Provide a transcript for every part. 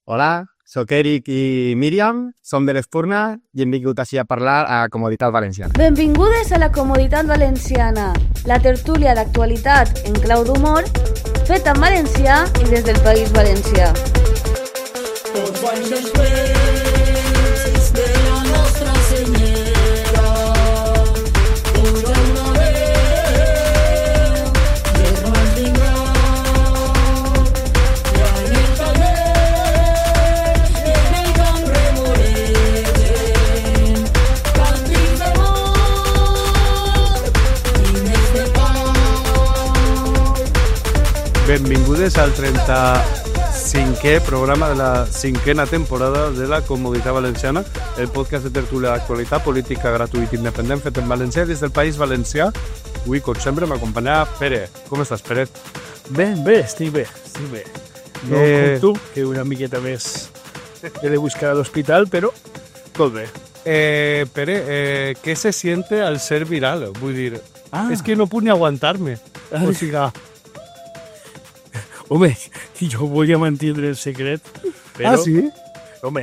Hola, sóc Eric i Míriam, som de l'Espurna i hem vingut així a parlar a Comoditat Valenciana. Benvingudes a la Comoditat Valenciana, la tertúlia d'actualitat en clau d'humor, feta en valencià i des del País Valencià. Tots anys després de la nostra senyera, podrà una veu de mantindrà i en el taller, en el camp remoregen càntics d'amor i més de pau. Benvingudes al 35è programa de la 5a temporada de la Comoditat Valenciana, el podcast de tertúlia d'actualitat política gratuït i independent fet en valencià des del País Valencià. Avui, com sempre, m'acompanya Pere. Com estàs, Pere? Bé, estic bé. No com tu, que una miqueta més he de buscar a l'hospital, però tot bé. Pere, ¿qué se siente al ser viral? Vull dir, és que no puc ni aguantar-me. O sigui... Home, jo volia mantindre el secret, però... Ah, sí? Home,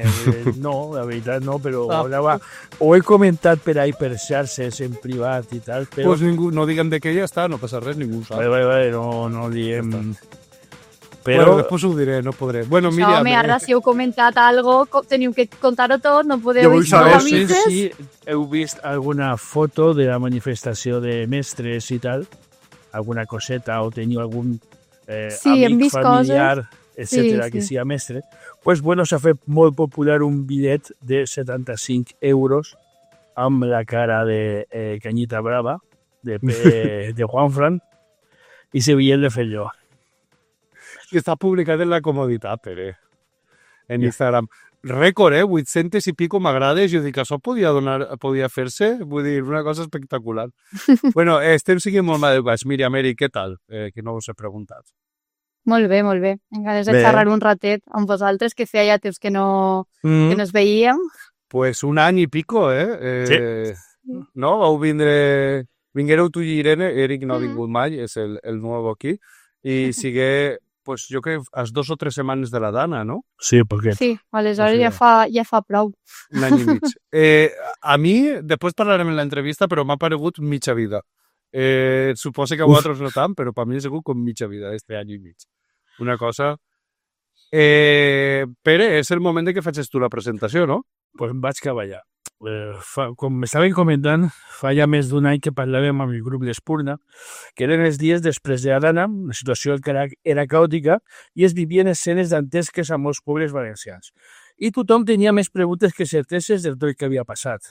no, la veritat no, però ho he comentat per ahí per xarxes en privat i tal, però... Pues ningú, no diguem de què ja està, no passa res, ningú ho sap. Vale, no diem... Però... Bueno, després ho diré, no podré. Bueno, Míriam... Home, ara si heu comentat alguna cosa, teniu que contar-ho tot, no podeu... Jo vull saber si heu vist alguna foto de la manifestació de mestres i tal, alguna coseta, o teniu algun... sí, hem amic, vist familiar, coses, etcètera, que sia mestre, pues bueno, s'ha fet molt popular un bitllet de 75 euros amb la cara de Canyita Brava, de Juanfran, i se bitllet de fer jo. I està publicat en la Comoditat, Pere, en Instagram. Rècord, 800 i pico m'agrades, jo dic, això podia fer-se, vull dir, una cosa espectacular. Bueno, estem siguent molt mal. Míriam, Eric, què tal? Que no us he preguntat. Molt bé. Encara de xerrar un ratet amb vosaltres, que feia ja temps que no ens veíem. Pues un any i pico, Sí. No? Vinguéreu tu i Irene, Eric no ha vingut mai, és el nou aquí, i sigue... Pues jo crec a 2 o 3 setmanes de la Dana, no? Sí, perquè... Sí, aleshores ja fa prou. Un any i mig. A mi, després parlarem en l'entrevista, però m'ha paregut mitja vida. Suposo que a vosaltres no tant, però per mi ha sigut com mitja vida, este any i mig. Una cosa... Pere, és el moment de que facis tu la presentació, no? Pues em vaig cap allà. Com m'estaven comentant, fa ja més d'un any que parlàvem amb el grup d'Espurna, que eren els dies després de la Dana, la situació era caòtica i es vivien escenes dantesques a molts pobles valencians. I tothom tenia més preguntes que certeses del tot el que havia passat.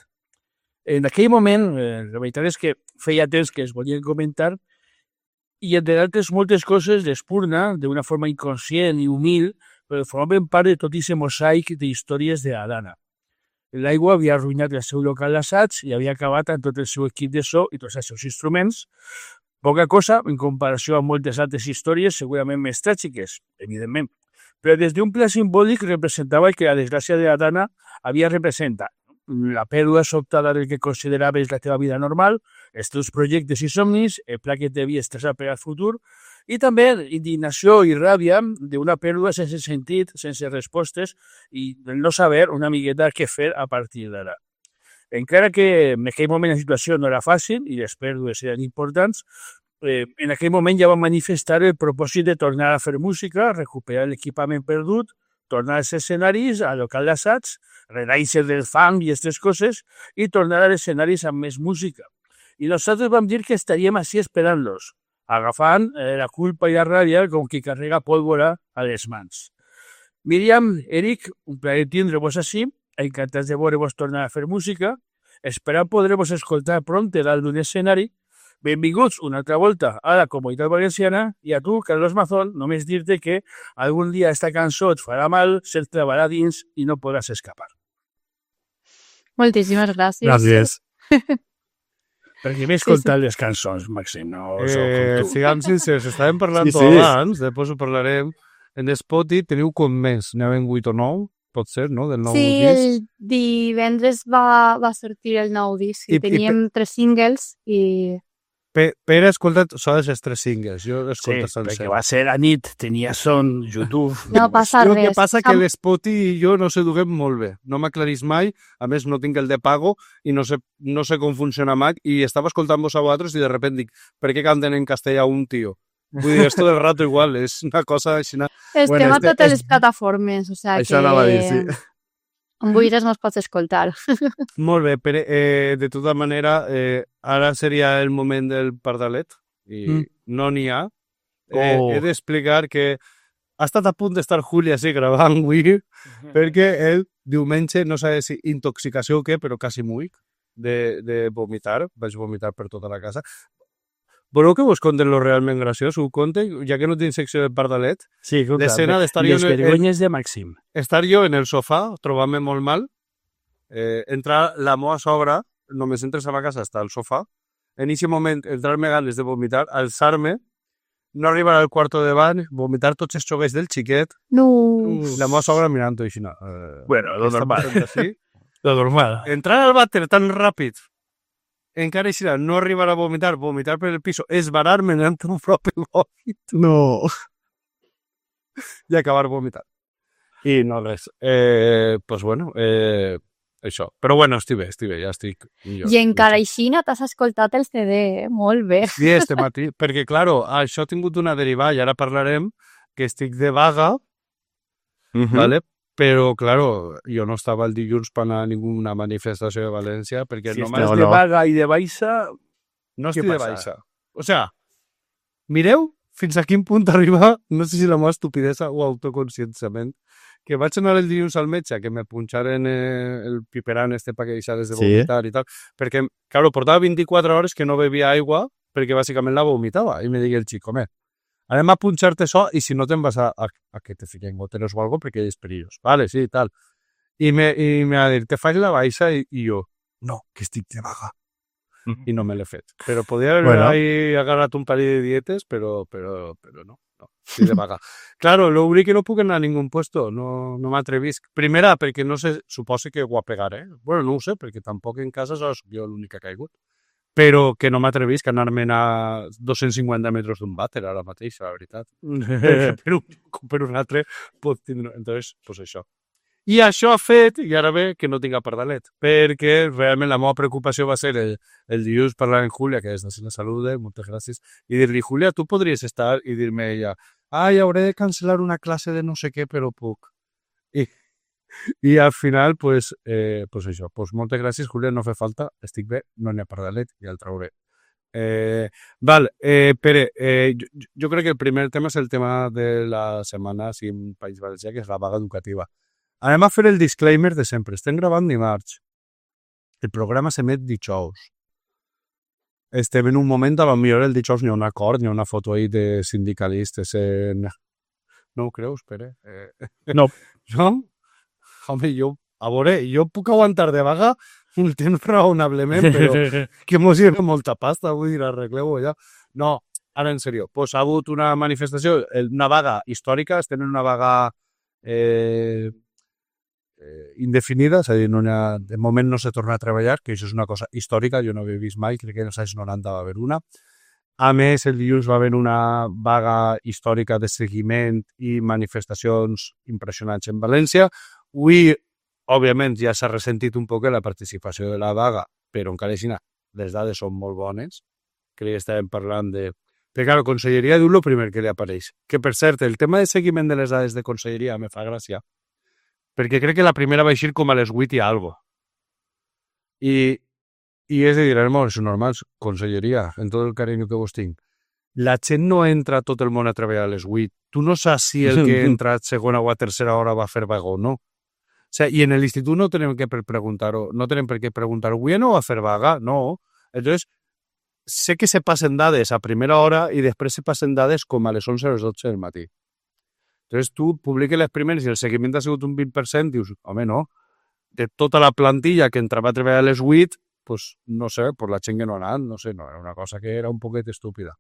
En aquell moment, la veritat és que feia temps que es volien comentar i, entre altres moltes coses, l'Espurna, d'una forma inconscient i humil, formaven part de tot aquest mosaic d'històries de la Dana. L'aigua havia arruïnat el seu local d'assaig i havia acabat amb tot el seu equip de so i tots els seus instruments. Poca cosa en comparació amb moltes altres històries segurament més tràgiques, evidentment. Però des d'un pla simbòlic representava que la desgràcia de la Dana havia representat la pèrdua sobtada del que consideraves la teva vida normal, els teus projectes i somnis, el pla que t'havies traçat per al futur, i també indignació i ràbia d'una pèrdua sense sentit, sense respostes i de no saber una miqueta què fer a partir d'ara. Encara que en aquell moment la situació no era fàcil i les pèrdues eren importants, en aquell moment ja va manifestar el propòsit de tornar a fer música, recuperar l'equipament perdut, tornar als escenaris, al local d'assaig, renaixer del fang i aquestes coses i tornar als escenaris amb més música. I nosaltres vam dir que estaríem així esperant-los, agafant la culpa i la ràbia com qui carrega pólvora a les mans. Míriam, Eric, un plaer tindre-vos així, encantats de veure-vos tornar a fer música, esperant poder-vos escoltar pront dalt d'un escenari. Benvinguts una altra volta a la Comoditat Valenciana i a tu, Carlos Mazón, només dir-te que algun dia esta cançó et farà mal, se't clavarà dins i no podràs escapar. Moltíssimes gràcies. Gràcies. Perquè m'he escoltat les cançons, Màxim, no sóc com tu. Siguem sincers, estàvem parlant Sí. abans, després ho parlarem. En Spotify teniu com més, n'hi 8 o 9, pot ser, no?, del nou Sí, disc. el divendres va sortir el nou disc. I Teníem 3 singles i Pere ha escoltat sols els 3 singles, jo l'he Sí, escoltat sencer. perquè va ser a nit, tenia son, YouTube... No passa El res. que passa que l'Spotty i jo no s'eduquem molt bé. No m'aclarís mai, a més no tinc el de pago i no sé com funciona Mac i estava escoltant-vos a vosaltres i de repente dic, per què canten en castellà un tio? Vull dir, esto del rato igual, és una cosa així... Estem a totes les plataformes, o sigui Això anava a dir, sí. on vulguis mos pots escoltar. Molt bé, Pere, de tota manera, ara seria el moment del pardalet i no n'hi ha. He d'explicar que ha estat a punt d'estar Júlia sí, gravant avui perquè el diumenge, no sé si intoxicació o què, però quasi muic de vomitar. Vaig vomitar per tota la casa. Voleu que vos conten lo realment graciós? Ho conte, ja que no tinc secció de pardalet. Sí, clar, L'escena d'estar les vergonyes de Màxim. Estar jo en el sofà, trobant-me molt mal, entrar la meva sogra, només entres a la casa, està al sofà, en aquest moment entrar-me ganes de vomitar, alçar-me, no arribar al quarto davant, vomitar tots els xoguets del xiquet, No. la meva sogra mirant-ho així. Bueno, lo normal. Així. Lo normal. Entrar al vàter tan ràpid, encara així, no arribar a vomitar per el piso, esbarar-me en un propi vòmit No. i acabar vomitant. I no res. Pues bueno, això. Però bueno, estic bé, ja estic millor. I encara així t'has escoltat el CD, molt bé. Sí, este matí, perquè, claro, això ha tingut una derivada, i ara parlarem que estic de vaga, ¿vale? Però, claro, jo no estava el dilluns per anar a ninguna manifestació de València, perquè Si només estàs de vaga i de baixa, no què estic de passa? baixa. O sea, mireu fins a quin punt arriba, no sé si la meva estupidesa o autoconscienciament, que vaig anar el dilluns al metge, que me punxaren el piperan este pa que deixares de Sí. vomitar i tal, perquè, claro, portava 24 hores que no bevia aigua perquè bàsicament la vomitava. I me digui el xic, home, anem a punxar-te això i si no te'n vas a que te fiquen goteres o algo perquè és perillós. Vale, sí, tal. I me va dir, te faig la baixa i jo, no, que estic de vaga. I no me l'he fet. Però podia haver agarrat un parell de dietes, però no, estic de vaga. Claro, l'únic que no puc anar a ningú puesto, no m'atrevisc. Primera, perquè no sé, suposo que ho apegaré. Bueno, no ho sé, perquè tampoc en casa soc jo l'únic que ha caigut. Però que no m'atrevisc a anar-me'n a 250 metres d'un vàter ara mateix, la veritat. per un altre pot tindre... Entonces, pues això. I això ha fet, i ara ve, que no tinc pardalet, perquè realment la meva preocupació va ser el dilluns parlar amb Júlia, que és de la Salut, moltes gràcies, i dir-li, Júlia, tu podries estar, i dir-me ella, hauré de cancel·lar una classe de no sé què, però puc. I al final, pues això, pues moltes gràcies, Júlia, no fa falta, estic bé, no n'hi ha pardalet, ja el trauré. Pere, jo crec que el primer tema és el tema de la setmana així en País Valencià, que és la vaga educativa. Anem a fer el disclaimer de sempre. Estem gravant dimarts. El programa s'emet dijous. Estem en un moment, a lo millor el dijous n'hi ha un acord, n'hi ha una foto ahí de sindicalistes en... No ho creus, Pere? No. No? Home, a veure, jo puc aguantar de vaga un temps raonablement, però que mos lleva molta pasta, vull dir, arregleu-ho ja. No, ara en sèrio. Pues ha hagut una manifestació, una vaga històrica, estem en una vaga indefinida, és a dir, de moment no se torna a treballar, que això és una cosa històrica, jo no havia vist mai, crec que en els anys 90 va haver una. A més, el dilluns va haver una vaga històrica de seguiment i manifestacions impressionants en València. Avui, òbviament, ja s'ha ressentit un poc la participació de la vaga, però encara així, les dades són molt bones. Crec que estàvem parlant de... Perquè, clar, Conselleria diu el primer que li apareix. Que, per cert, el tema de seguiment de les dades de Conselleria me fa gràcia, perquè crec que la primera va eixir com a les 8 i algo. I és de dir, és normal, Conselleria, en tot el carinyo que vos tinc. La gent no entra tot el món a treballar a les 8. Tu no saps si el que entra a segona o a tercera hora va a fer vaga o no. O sea, i en l'institut no tenim que preguntar-ho, no tenim per què preguntar, avui no va a fer vaga? No. Entonces, sé que se passen dades a primera hora i després se passen dades com a les 11 o les 12 del matí. Entonces, tu publiques les primeres i el seguiment ha sigut un 20%, dius, home, no. De tota la plantilla que entrava a treballar a les 8, pues, no sé, pues la gent que no ha anat, no sé, no, era una cosa que era un poquet estúpida.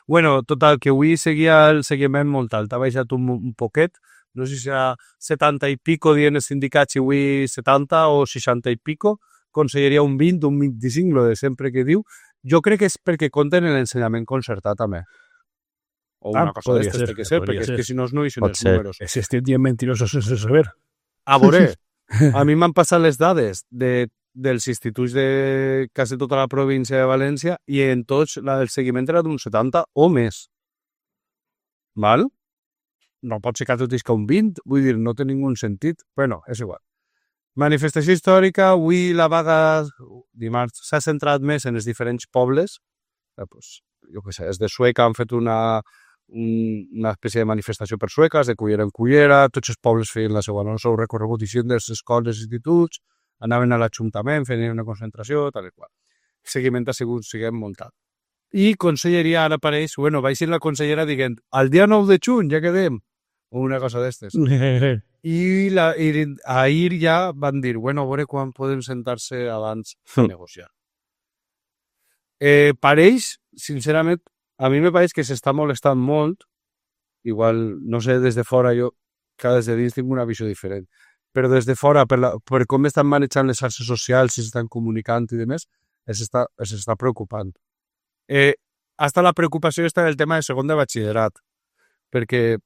Bueno, total, que avui seguia el seguiment molt alt, ha baixat un poquet, no sé si serà 70 i pico dient els sindicats i avui 70 o 60 i pico, Conselleria un 20, un 25, lo de sempre que diu, Jo crec que és perquè compten en l'ensenyament concertat, també. O una cosa podria d'estes ser, té que ser, podria perquè és ser. que si no no eixen Pot els ser. números. Se estem dient mentirosos sense saber. A veure, a mi m'han passat les dades dels instituts de quasi tota la província de València i en tots el seguiment era d'un 70 o més. Val? No pot ser que tot isca un 20, vull dir, no té ningú sentit. Bueno, és igual. Manifestació històrica, avui la vaga dimarts s'ha centrat més en els diferents pobles. Pues, jo què sé, els de Sueca han fet una espècie de manifestació per sueques, de cullera en cullera, tots els pobles feien el seu recorregut i de les escoles i instituts, anaven a l'Ajuntament, feien una concentració, tal i qual. El seguiment ha sigut, siguem, muntat. I conselleria ara apareix, bueno, vaig la consellera dient, al dia 9 de juny ja quedem, o una cosa d'estes. I ahir ja van dir, bueno, a veure quan podem sentar-se abans a negociar. Pareix, sincerament, a mi me pareix que s'està molestant molt, igual, no sé, des de fora jo, cada des de dins tinc una visió diferent, però des de fora, per com estan manejant les xarxes socials, si s'estan comunicant i demés, s'està preocupant. Hasta la preocupació està en el tema de segon de batxillerat, perquè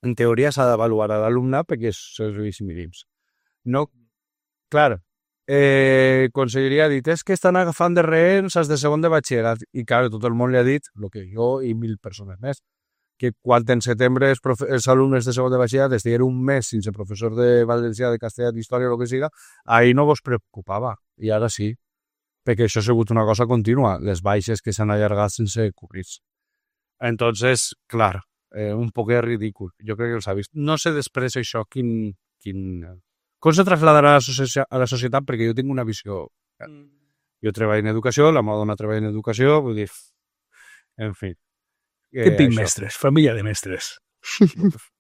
en teoria s'ha d'avaluar a l'alumnat perquè és serveis mínims. No, clar, conselleria ha dit, és que estan agafant de rehens els de segon de batxillerat, i clar, tot el món li ha dit, el que jo i 1000 persones més, que quan en setembre els alumnes de segon de batxillerat estigueren un mes sense professor de valencià, de castellà, d'història o el que siga, ahir no vos preocupava, i ara sí, perquè això ha sigut una cosa contínua, les baixes que s'han allargat sense cobrir-se. Entonces, clar, un poc ridícul, jo crec que els ha vist. No sé després això com se trasladarà a la societat, perquè jo tinc una visió. Jo treballo en educació, la meva dona treballa en educació, vull dir, en fi. Típic mestres, família de mestres.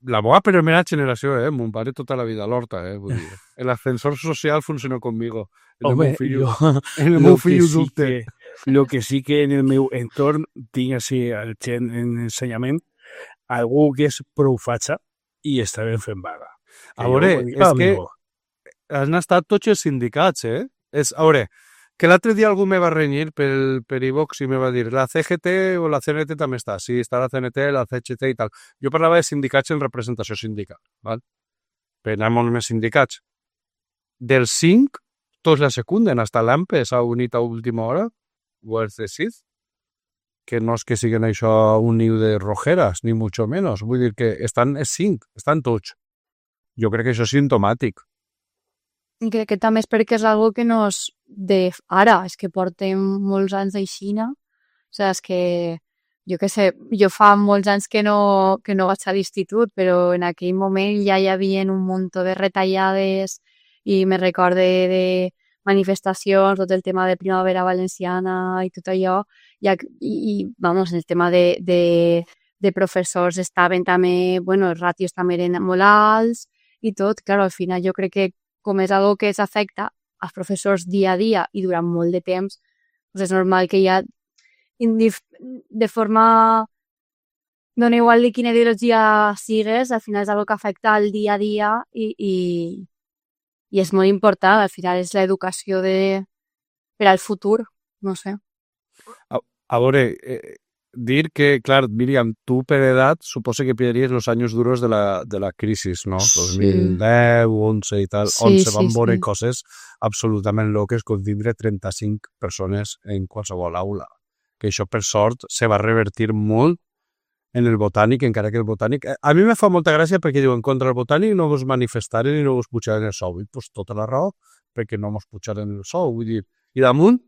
La meva primera generació, mon pare tota la vida a l'horta, vull dir. L'ascensor social funcionó conmigo. El meu fill ho dubte. Lo que sí que en el meu entorn tinc així el gent en ensenyament algú que és prou fatxa i està ben fent vaga. A veure, és que han estat tots els sindicats, A veure, que l'altre dia algú me va renyir per iVox i me va dir la CGT o la CNT també està. Sí, està la CNT, la CGT i tal. Jo parlava de sindicats en representació sindical, val? Però hi ha molts més sindicats. Dels 5, tots la secunden. Hasta l'AMPE s'ha unit a última hora, o els de CID, que no és que siguin això un niu de rojeras, ni mucho menos. Vull dir que estan els 5, estan tots. Jo crec que això és simptomàtic. I crec que també és perquè és algo que no és de ara, és que portem molts anys d'eixina. O sigui, és que, jo què sé, jo fa molts anys que no vaig a l'institut, però en aquell moment ja hi havia un munt de retallades i me recorde de manifestacions, tot el tema de Primavera Valenciana i tot allò, i vamos, el tema de professors estaven també, bueno, els ràtios també eren molt alts i tot, clar, al final jo crec que com és algo que s'afecta als professors dia a dia i durant molt de temps, doncs és normal que ja de forma dona igual de quina ideologia sigues, al final és algo que afecta al dia a dia i és molt important, al final és l'educació per al futur, no sé. A veure, dir que, clar, Míriam, tu per edat suposo que pillaries els anys duros de la crisi, no? Sí. 2010, 11 i tal, Sí, on se van sí, veure sí. coses absolutament loques com tindre 35 persones en qualsevol aula. Que això, per sort, se va revertir molt en el Botànic, encara que el Botànic... A mi me fa molta gràcia perquè diuen contra el Botànic no vos manifestaren i no vos pujaren el sou. I pues, tota la raó, perquè no vos pujaren el sou. Vull dir, i damunt,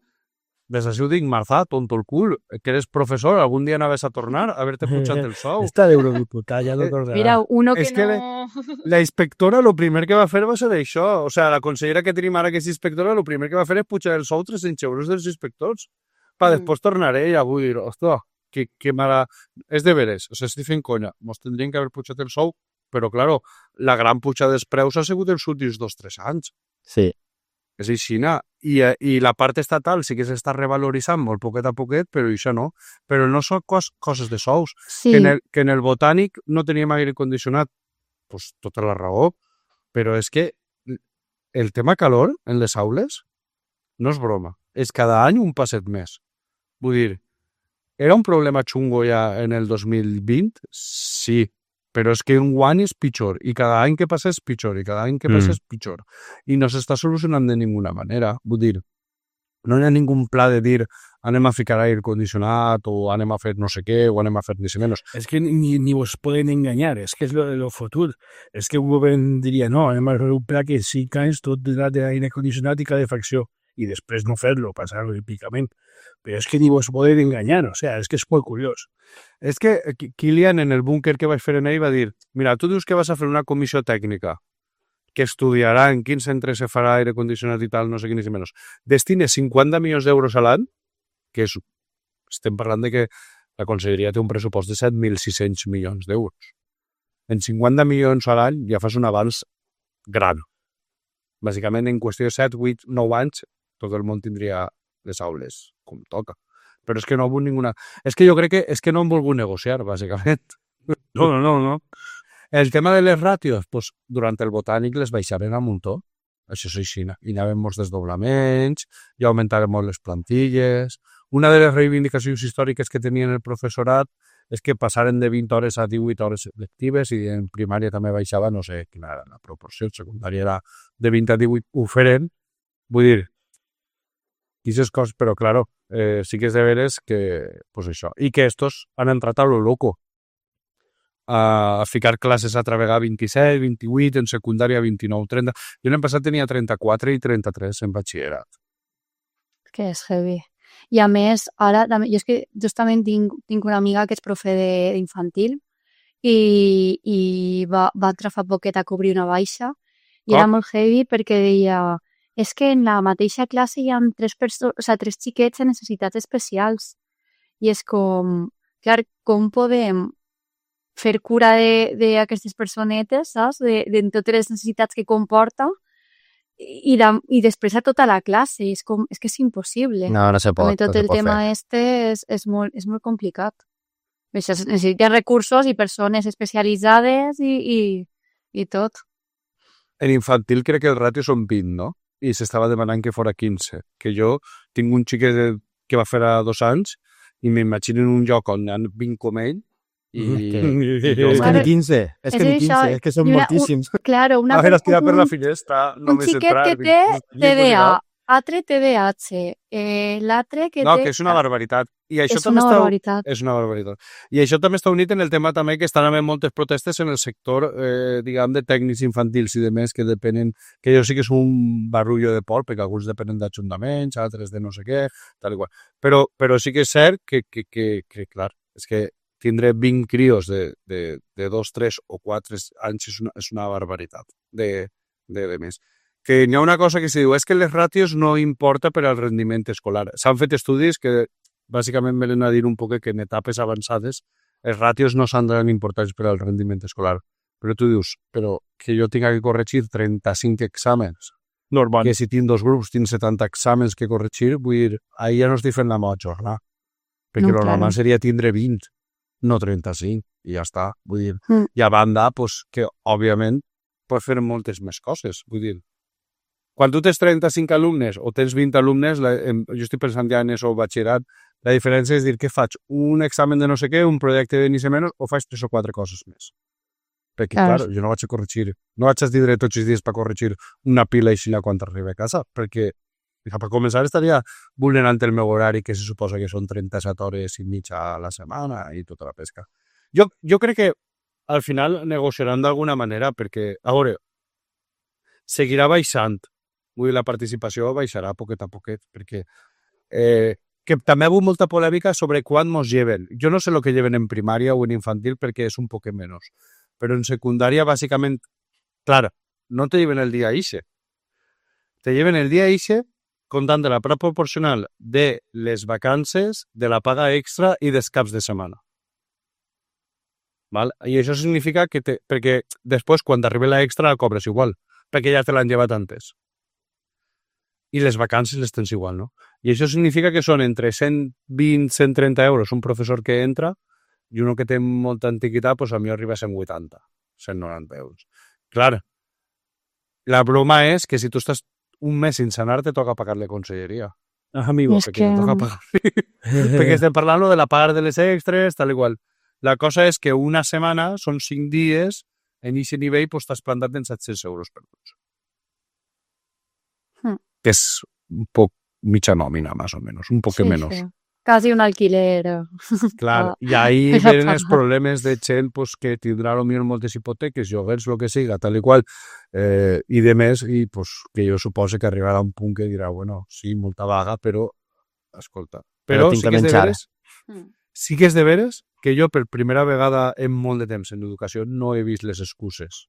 des d'ací ho dic, Marzà, tonto el cul, que eres professor, algun dia anaves a tornar a haver-te pujat el sou. Està d'eurodiputat, ja no tornarà. Mira, uno que És que no... La inspectora lo primer que va fer va ser això. O sea, la consellera que tenim ara que és inspectora, lo primer que va fer és pujar el sou 300 euros dels inspectors. Després tornaré i vull dir, ostres, que mala... És de veres, o sigui, estic fent conya. Mos tindrien que haver pujat el sou, però, claro, la gran pujada dels preus ha sigut els últims 2-3 anys. Sí. És aixina. I la part estatal sí que s'està revaloritzant molt poquet a poquet, però això no. Però no són coses de sous. Sí, Que en el Botànic no teníem aire condicionat, pues tota la raó, però és que el tema calor en les aules no és broma. És cada any un passet més. Vull dir, era un problema xungo ja en el 2020? Sí, però és que un any és pitjor, i cada any que passa és pitjor, i cada any que passa és pitjor. I no s'està solucionant de ninguna manera. Vull dir, no hi ha ningú pla de dir anem a ficar aire condicionat o anem a fer no sé què o anem a fer ni menys. És que ni vos poden enganyar, és que és lo fotut. És que un govern diria, no, anem a fer un pla que 5 anys tot d'aire condicionat i calefacció, i després no fer-lo, passar-lo típicament. Però és que ni vos poden enganyar, o sea, és que és molt curiós. És que Kilian, en el búnquer que vaig fer en ell, va dir, mira, tu dius que vas a fer una comissió tècnica que estudiarà en quin centre se farà aire condicionat i tal, no sé quin ni menys. Destine 50 milions d'euros a l'any, que és, estem parlant de que la Conselleria té un pressupost de 7.600 milions d'euros. En 50 milions a l'any ja fas un avanç gran. Bàsicament, en qüestió de 7, 8, 9 anys, tot el món tindria les aules com toca. Però és que no ha hagut ninguna... És que jo crec que és que no han volgut negociar, bàsicament. No. El tema de les ràtios, doncs, durant el botànic les baixaren a muntó. Això és així. Hi anaven molts desdoblaments, i augmentaren molt les plantilles. Una de les reivindicacions històriques que tenien el professorat és que passaren de 20 hores a 18 hores lectives i en primària també baixava, no sé quina era la proporció, en secundària era de 20 a 18, ho feren. Vull dir, aquestes coses, però, claro, sí que és de veres que, pues això, i que estos han entrat a lo loco, a ficar classes a travegar 27, 28, en secundària 29, 30. Jo l'any passat tenia 34 i 33 en batxillerat. Que és heavy. I a més, ara, jo és que justament tinc una amiga que és profe d'infantil i va entrar fa poquet a cobrir una baixa i era molt heavy perquè deia és que en la mateixa classe hi ha tres xiquets amb necessitats especials i és com, clar, com podem fer cura d'aquestes personetes, saps? De totes les necessitats que comporta i després a tota la classe. És que és impossible. No se pot. Tot el tema és molt complicat. Necessiten recursos i persones especialitzades i tot. En infantil crec que el ràtio són 20, no? I s'estava demanant que fora 15. Que jo tinc un xiquet que va fer a 2 anys i m'imagino en un lloc on hi ha 20 com ell i És que ni 15, és que són moltíssims. Claro, a veure, estirar per la finestra, un xiquet que té TDA, altre TDAH, l'altre que té... No, que és una barbaritat. I això és una barbaritat. És una barbaritat. I això també està unit en el tema també que estan havent moltes protestes en el sector, diguem, de tècnics infantils i de més que depenen, que jo sí que és un barullo de por, perquè alguns depenen d'ajuntaments, altres de no sé què, tal i qual. Però sí que és cert que clar, és que tindre 20 crios de 2, 3 o 4 anys és una barbaritat de més. Que hi ha una cosa que se diu, és que les ràtios no importa per al rendiment escolar. S'han fet estudis que bàsicament venen a dir un poc que en etapes avançades els ràtios no s'han de importants per al rendiment escolar. Però tu dius, però que jo tinc que corregir 35 exàmens, Normal. que si tinc 2 grups tinc 70 exàmens que corregir, vull dir, ahir ja no estic fent la meva jornada. Perquè No, lo normal claro. seria tindre 20, no 35, i ja està. Vull dir, i a banda, pues, que òbviament pots fer moltes més coses. Vull dir, quan tu tens 35 alumnes o tens 20 alumnes, jo estic pensant ja en això batxillerat, la diferència és dir que faig un examen de no sé què, un projecte de ni se menys, o faig 3 o 4 coses més. Perquè, clar, jo no vaig a corregir, no vaig a tindre tots els dies per corregir una pila així quan arribi a casa, perquè per començar estaria vulnerant el meu horari, que se suposa que són 37 hores i mitja a la setmana i tota la pesca. Jo crec que al final negociaran d'alguna manera, perquè, a veure, seguirà baixant. Vull dir, la participació baixarà poquet a poquet, perquè que també ha hagut molta polèmica sobre quan mos lleven. Jo no sé el que lleven en primària o en infantil perquè és un poc menys, però en secundària, bàsicament, clar, no te lleven el dia ixe. Te lleven el dia ixe comptant de la part proporcional de les vacances, de la paga extra i dels caps de setmana. Val? I això significa que perquè després, quan t'arriba la extra, la cobres igual, perquè ja te l'han llevat antes. I les vacances les tens igual, no? I això significa que són entre 120 i 130 euros un professor que entra i un que té molta antiguitat, doncs a mi arriba a 180, 190 euros. Clar, la broma és que si tu estàs un mes sense anar, te toca pagar la conselleria. amigo. És Perquè te toca pagar. Perquè Perquè estem parlant de la paga de les extres, tal igual. La cosa és que una setmana són 5 dies, en aquest nivell pues, t'has plantat en 700 euros perduts. Que és un poc mitja nòmina, más o menos, un poc menos. Sí. Casi un alquiler. Clar, Ah, i ahí esa venen els paga. problemes de gent pues, que tindrà potser moltes hipoteques, lloguers, el que siga, tal i qual, i de més, i pues, que jo suposo que arribarà un punt que dirà, bueno, sí, molta vaga, però, escolta, Però però tinc sí que que és de menjar. veres, Mm. sí que és de veres que jo per primera vegada en molt de temps en educació no he vist les excuses.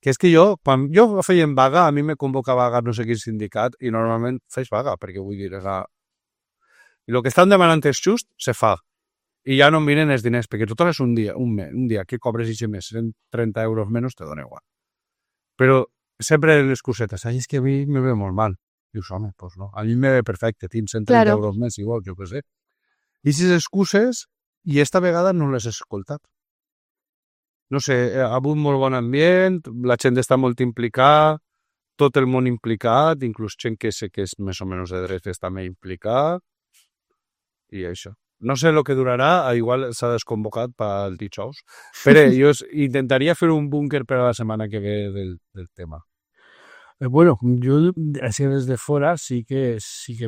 Que és que jo, quan jo feia vaga, a mi me convoca vaga no sé quin sindicat i normalment fes vaga, perquè vull dir, i el que estan demanant és just, se fa. I ja no em miren els diners, perquè tu tornes un dia que cobres i més, 30 euros menys, te dona igual. Però sempre les cosetes, ai, és que a mi me ve molt mal. Dius, home, doncs no, a mi me ve perfecte, tinc 130 Claro. euros més, igual, jo què sé. I aquestes excuses, i esta vegada no les he escoltat. No sé, ha hagut molt bon ambient, la gent està molt implicada, tot el món implicat, inclús gent que sé que és més o menys de dretes també implicat, i això. No sé el que durarà, igual s'ha desconvocat pel dijous, però jo intentaria fer un búnquer per a la setmana que ve del tema. Bueno, jo, així des de fora, sí que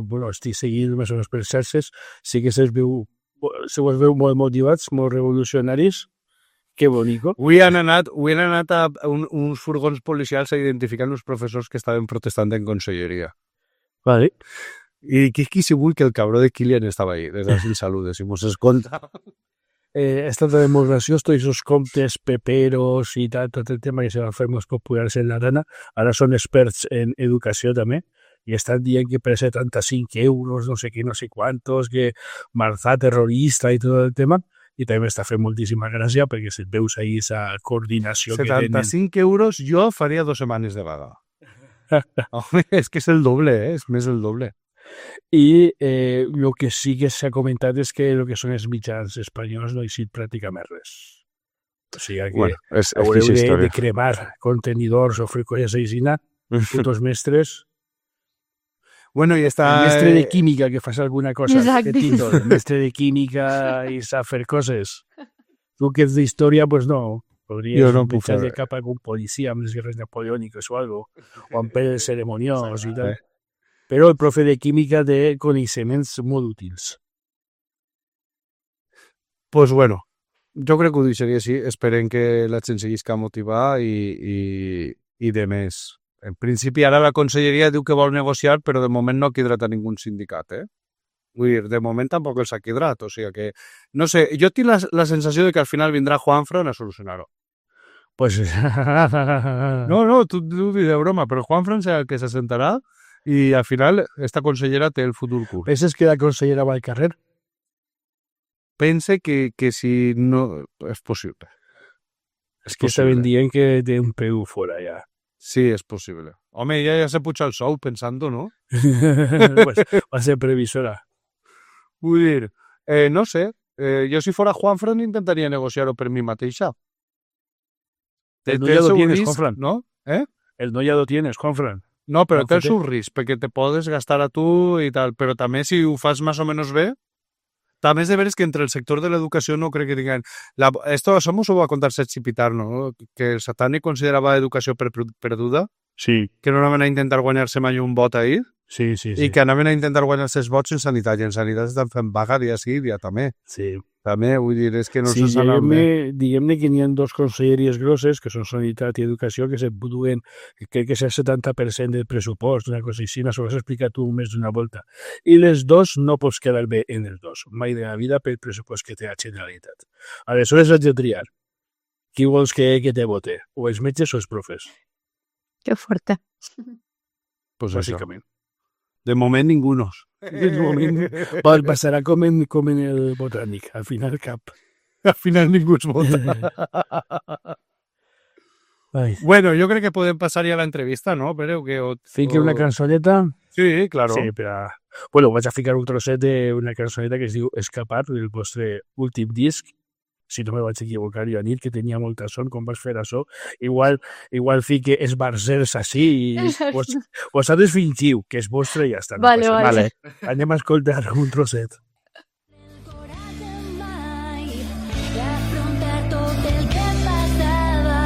bueno, estic seguint més o menys per xarxes, sí que se vos veu molt motivats, molt revolucionaris. Que bonico. Avui han anat a uns furgons policials a identificar uns professors que estaven protestant en conselleria. Vale. I qui si vull que el cabró de Kilian estava ahí, des dels saludes, si mos escolta. Ha estat també molt graciós, tots els comptes peperos i tal, tot el tema que se van fer molt populars en l'Arana, ara són experts en educació també, i estan dient que per 75 euros, no sé què, no sé quantos, que Marzà terrorista i tot el tema, i també m'està fent moltíssima gràcia perquè si et veus ahí esa coordinació que tenen. 75 euros jo faria 2 setmanes de vaga. Home, és que és el doble, és més el doble. I el que sí que s'ha comentat és que el que són els mitjans espanyols no ha eixit pràcticament res. O sigui que és haureu de cremar contenidors o fer coses així, putos mestres. Bueno, i està... El mestre de química que fas alguna cosa. Exacte. Què títol? El mestre de química i sap fer coses. Tu que ets d'història, pues no. Podries Jo no puc pensar fer de cap a algun policia amb les guerres napoleòniques o algo, o amb peles ceremoniós i tal. Però el profe de química té coneixements molt útils. Pues bueno, jo crec que ho deixaria així. Esperem que la gent seguisca a motivar i de més. En principi, ara la conselleria diu que vol negociar, però de moment no ha quedrat a ningú sindicat, Vull dir, de moment tampoc els ha quedrat, o sigui que... No sé, jo tinc la sensació de que al final vindrà Juanfran a solucionar-ho. Pues... No, tu diré broma, però Juanfran serà el que s'assentarà i al final esta consellera té el futur curt. Penses que la consellera va al carrer? Pense que si no... És possible. És que estaven dient que té un peu fora ja. Sí, és possible. Home, ja se puja el sou pensant-ho, no? Pues va ser previsora. Vull dir, no sé, jo si fora Juanfran intentaria negociar-ho per mi mateixa. El no ja lo tienes, Juanfran. No? El no ja lo tienes, Juanfran. No, però té el Juanfran. seu risc, perquè te podes gastar a tu i tal, però també si ho fas més o menys bé, també és de veres que entre el sector de l'educació no crec que tinguin... Esto mos ho va contar Sergi Pitar, no? Que el Satani considerava educació perduda, Sí, que no anaven a intentar guanyar-se mai un vot ahir, sí. i que anaven a intentar guanyar-se els vots en sanitat, i en sanitat estan fent vaga dia sí, dia també. Sí. També, vull dir, és que no Sí, se saben bé. diguem-ne que n'hi ha dos conselleries grosses, que són Sanitat i Educació, que se duen, crec que és el 70% del pressupost, una cosa així, s'ho has explicat tu més d'una volta. I les dos no pots quedar bé en els dos, mai de la vida pel pressupost que té la Generalitat. Aleshores has de triar. Qui vols que te vote? O els metges o els profes? Que fuerte. Pues això. Bàsicament. De moment, ningunos. De moment passarà com en el botànic, al final cap. Al final ningú es vota. Ai. Bueno, jo crec que podem passar ja a l'entrevista, no? Però que... Fique una cançoneta. Sí, claro. Sí, però... Bueno, vaig a ficar un trosset d'una cançoneta que es diu Escapar, del vostre últim disc, si no me vaig equivocar, Joanit, que tenia molta son quan vas fer això. Igual fique esbarzers així i vosaltres fingiu que és vostre i ja està. Vale, passa vale. res. Anem a escoltar un trosset. Coratge mai d'afrontar tot el que passava,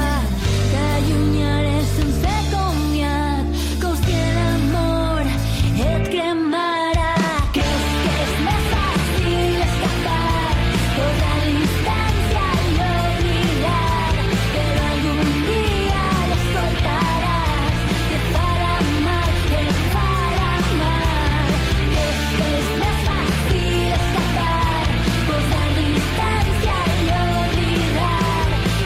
d'allunyar sense comiat, com si l'amor et cremara. Que és més fàcil escapar, posar distància i oblidar, però algun dia l'escoltaràs, que farà mal, que farà mal. Que és més fàcil escapar, posar distància i oblidar,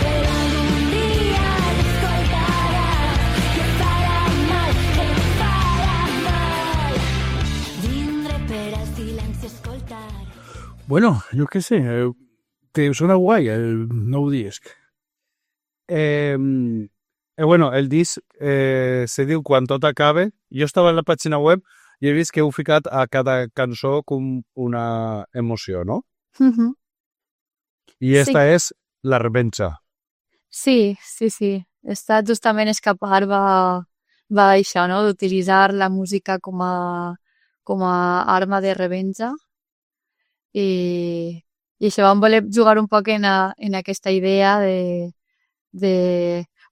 però algun dia l'escoltaràs, que farà mal, que farà mal. Vindré per al silenci escoltar. Bueno, jo què sé, te sona guai el nou disc. Bueno, el disc se diu Quan tot acabe. Jo estava en la pàgina web i he vist que heu ficat a cada cançó com una emoció, no? Mhm. I esta és La revenja. Sí. Està justament escapar va això, no? D'utilitzar la música com a arma de revenja. I això vam voler jugar un poc en aquesta idea de...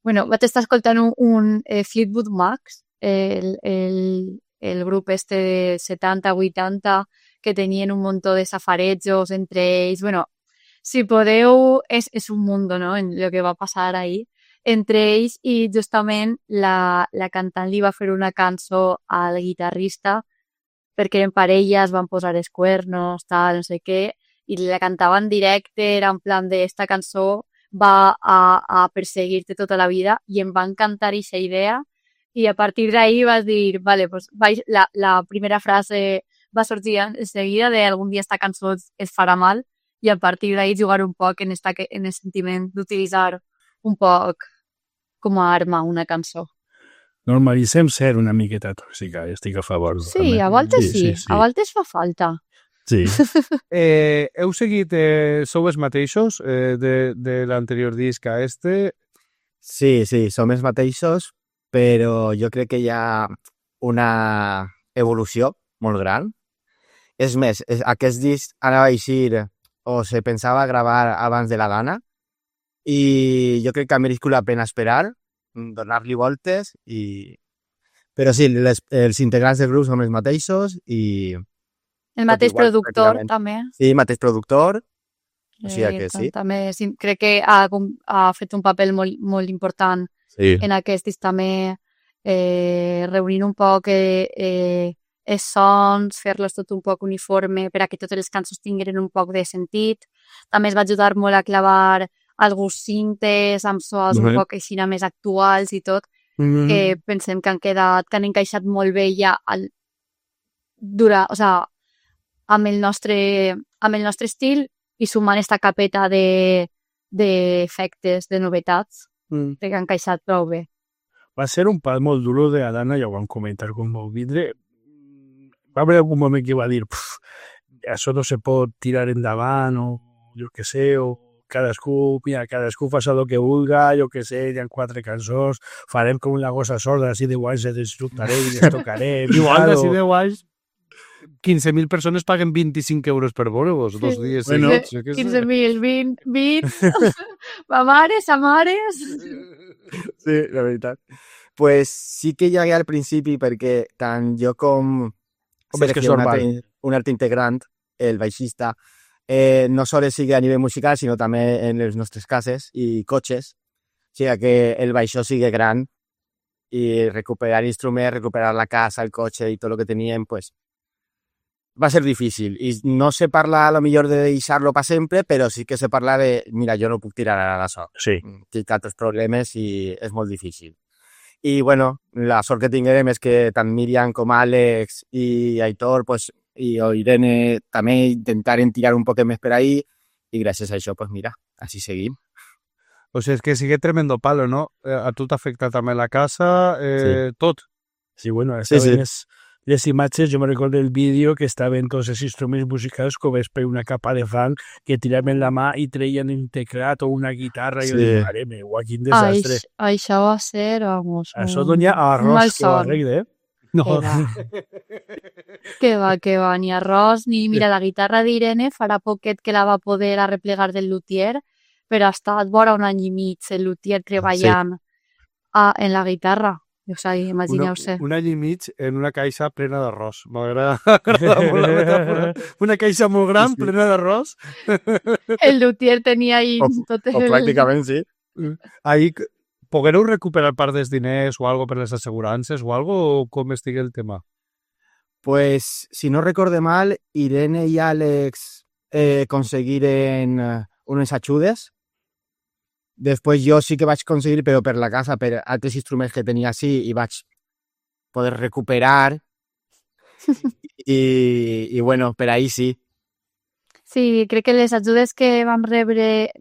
Bueno, vaig estar escoltant un Fleetwood Mac, el grup este de 70-80, que tenien un muntó de safarejos entre ells. Bueno, si podeu, és un mundo, no?, en el que va passar ahir entre ells, i justament la cantant li va fer una cançó al guitarrista perquè eren parelles, van posar els cuernos, tal, no sé què, i la cantava en directe, era en plan de esta cançó va a perseguir-te tota la vida, i em va encantar aquesta idea, i a partir d'ahí vas dir, vale, pues la primera frase va sortir en seguida de algun dia esta cançó es farà mal, i a partir d'ahí jugar un poc en el sentiment d'utilitzar un poc com a arma una cançó. Normalitzem ser una miqueta tòxica, estic a favor. Sí, també. a voltes sí, a voltes fa falta. Sí. Heu seguit, sou els mateixos de l'anterior disc a este? Sí, som els mateixos, però jo crec que hi ha una evolució molt gran. És més, aquest disc anava a eixir o se pensava gravar abans de la gana, i jo crec que ha merescut la pena esperar, donar-li voltes, però sí, els integrants del grup som els mateixos i... El mateix igual, productor, pràcticament. també. Sí, mateix productor, o sigui que sí. També crec que ha fet un paper molt important Sí. en aquest disc, també reunint un poc els sons, fer-los tot un poc uniforme per a que totes les cançons tinguin un poc de sentit. També es va ajudar molt a clavar alguns cintes amb sols un poc així més actuals i tot, que pensem que han encaixat molt bé ja amb el nostre estil, i sumant esta capeta d'efectes, de novetats, que han encaixat prou bé. Va ser un pas molt duro de Adana, ja ho vam comentar quan vau vindre. Va haver algun moment que va dir això no se pot tirar endavant, o jo què sé, o cadascú fa el que vulga, jo què sé, hi ha 4 cançons, farem com la gossa sorda, així de guais, disfrutaré i les tocaré. Igual, d'ací 10 anys, 15.000 persones paguen 25 euros per veure-vos, 2 dies Bueno, seguits. Jo què sé. 15.000, 20, ma mares, a mares... Sí, la veritat. Pues sí que hi hagué al principi, perquè tant jo com és que és Sergio, normal. un altre integrant, el baixista, no sols sigui a nivell musical, sinó també en les nostres cases i cotxes. O sigui que el baixó sigui gran i recuperar instruments, recuperar la casa, el cotxe i tot el que teníem, pues va ser difícil. I no se parla a lo millor de deixar-lo per sempre, però sí que se parla de, mira, jo no puc tirar ara d'això. Sí. Tinc altres problemes i és molt difícil. I, bueno, la sort que tinguem és que tant Míriam com Àlex i Aitor, pues, i Irene també intentaren tirar un poc més per ahí, i gràcies a això, pues mira, així seguim. O sigui, és que sigue tremendo palo, no? A tu t'afecta també la casa, Sí. tot. Sí, bueno, Sí, sí. les imatges, jo me recordo el vídeo que estaven tots els instruments musicals coberts per una capa de fang que tiraven la mà i treien un teclat o una guitarra i jo Sí. dic, mare meva, quin desastre. Això va ser, vamos, Això donia un arròs que ho malson. arregle, Que va, que va, ni arròs, ni... Mira, la guitarra d'Irene farà poquet que la va poder arreplegar del luthier, però ha estat vora un any i mig el luthier treballant en la guitarra. O sigui, imagineu-se. Un any i mig en una caixa plena d'arròs. M'agrada molt la metàfora. Una caixa molt gran, plena d'arròs. El luthier tenia ahí tot O pràcticament sí. Ahí poguereu recuperar part dels diners o algo per les assegurances o algo, o com estigui el tema? Pues, si no recorde mal, Irene y Alex conseguiren unes ajudes. Després jo sí que vaig aconseguir, però per la casa, per altres instruments que tenia així, i vaig poder recuperar. I bueno, per ahí sí. Sí, crec que les ajudes que van rebre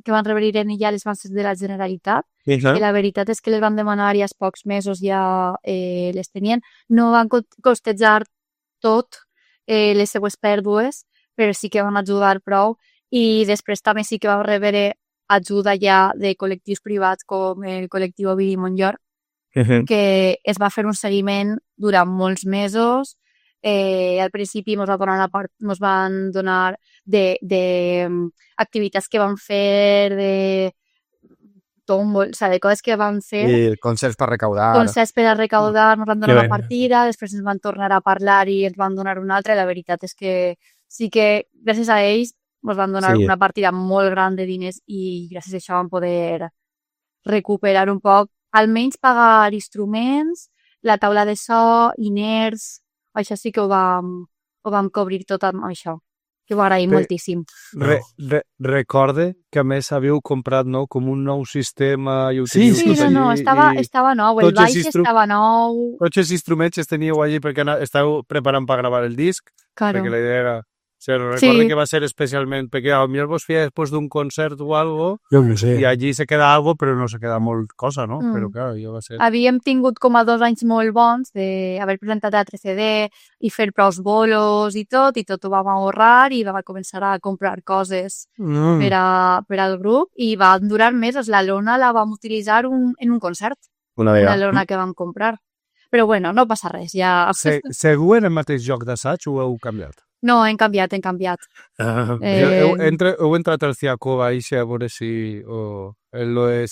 Irene ja les van ser de la Generalitat, i la veritat és que les van demanar i als pocs mesos ja les tenien. No van costejar tot les seues pèrdues, però sí que van ajudar prou, i després també sí que van rebre ajuda ja de col·lectius privats com el col·lectiu Ovidi Montllor, que es va fer un seguiment durant molts mesos. Al principi ens van donar de activitats que van fer, de tómbol, o sigui, de coses que van fer. I concerts per recaudar. Concerts per a recaudar, ens van donar Que una partida, després ens van tornar a parlar i ens van donar una altra, i la veritat és que sí que gràcies a ells ens van donar una partida molt gran de diners i gràcies a això vam poder recuperar un poc, almenys pagar instruments, la taula de so, inerts, això sí que ho vam cobrir tot amb això, que ho agraïm moltíssim. Recorde que a més havíeu comprat, no?, com un nou sistema i ho Sí, teniu tot no, allí, estava nou, el tots els baix estava nou. tots els instruments els teníeu allí perquè estàveu preparant per gravar el disc, Claro. perquè la idea era... O sigui, recorde que va ser especialment perquè a mi vos feia després d'un concert o algo Jo no sé. i allí se queda algo però no se queda molt cosa, no? Mm. Però clar, jo va ser... Havíem tingut com a 2 anys molt bons d'haver presentat a 3CD i fer prous bolos i tot ho vam ahorrar i vam començar a comprar coses per al grup i van durar mesos. La lona la vam utilitzar en un concert, Una una vegada. lona que vam comprar. Però bueno, no passa res, ja... Segur en el mateix joc d'assaig o heu canviat? No, hem canviat. Heu entrat al Ciacova i a veure si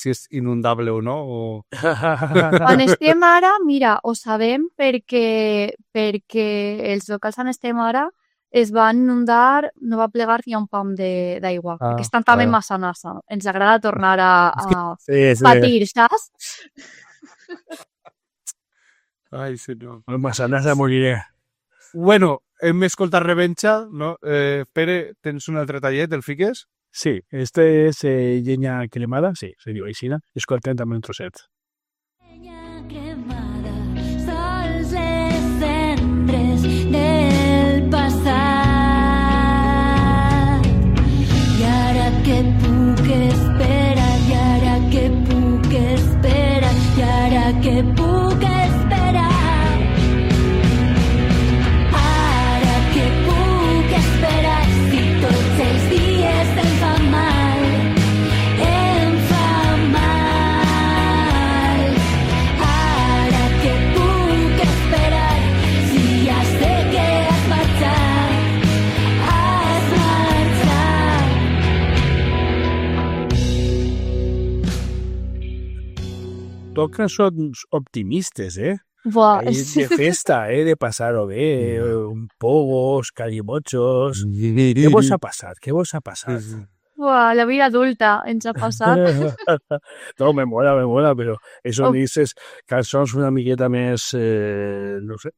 és inundable o no? O... On estem ara, mira, ho sabem perquè els locals on estem ara es van inundar, no va plegar ni un pam d'aigua, perquè estan també massa nasa. Ens agrada tornar a Sí. patir, saps? Ai, senyor. El Massanassa moriré. Bueno, hem escoltat Revenja, no? Pere, tens un altre tallet, el fiques? Sí, este és llenya cremada, sí, se diu així, escoltem també un trosset. Llenya cremada, sols les cendres del passat. I ara que puc esperar, i ara que puc esperar, i ara que puc esperar. Ara que puc esperar, si tots els dies em fa mal, em fa mal. Ara que puc esperar, si ja sé que has marxat, has marxat. Tot cançons optimistes, Buah, Ahí de festa, de passar-ho bé, pogos, calimochos... Què vos ha passat? Què vos ha passat? buah, la vida adulta ens ha passat. No, me mola, però això dices cançons una miqueta més, no sé,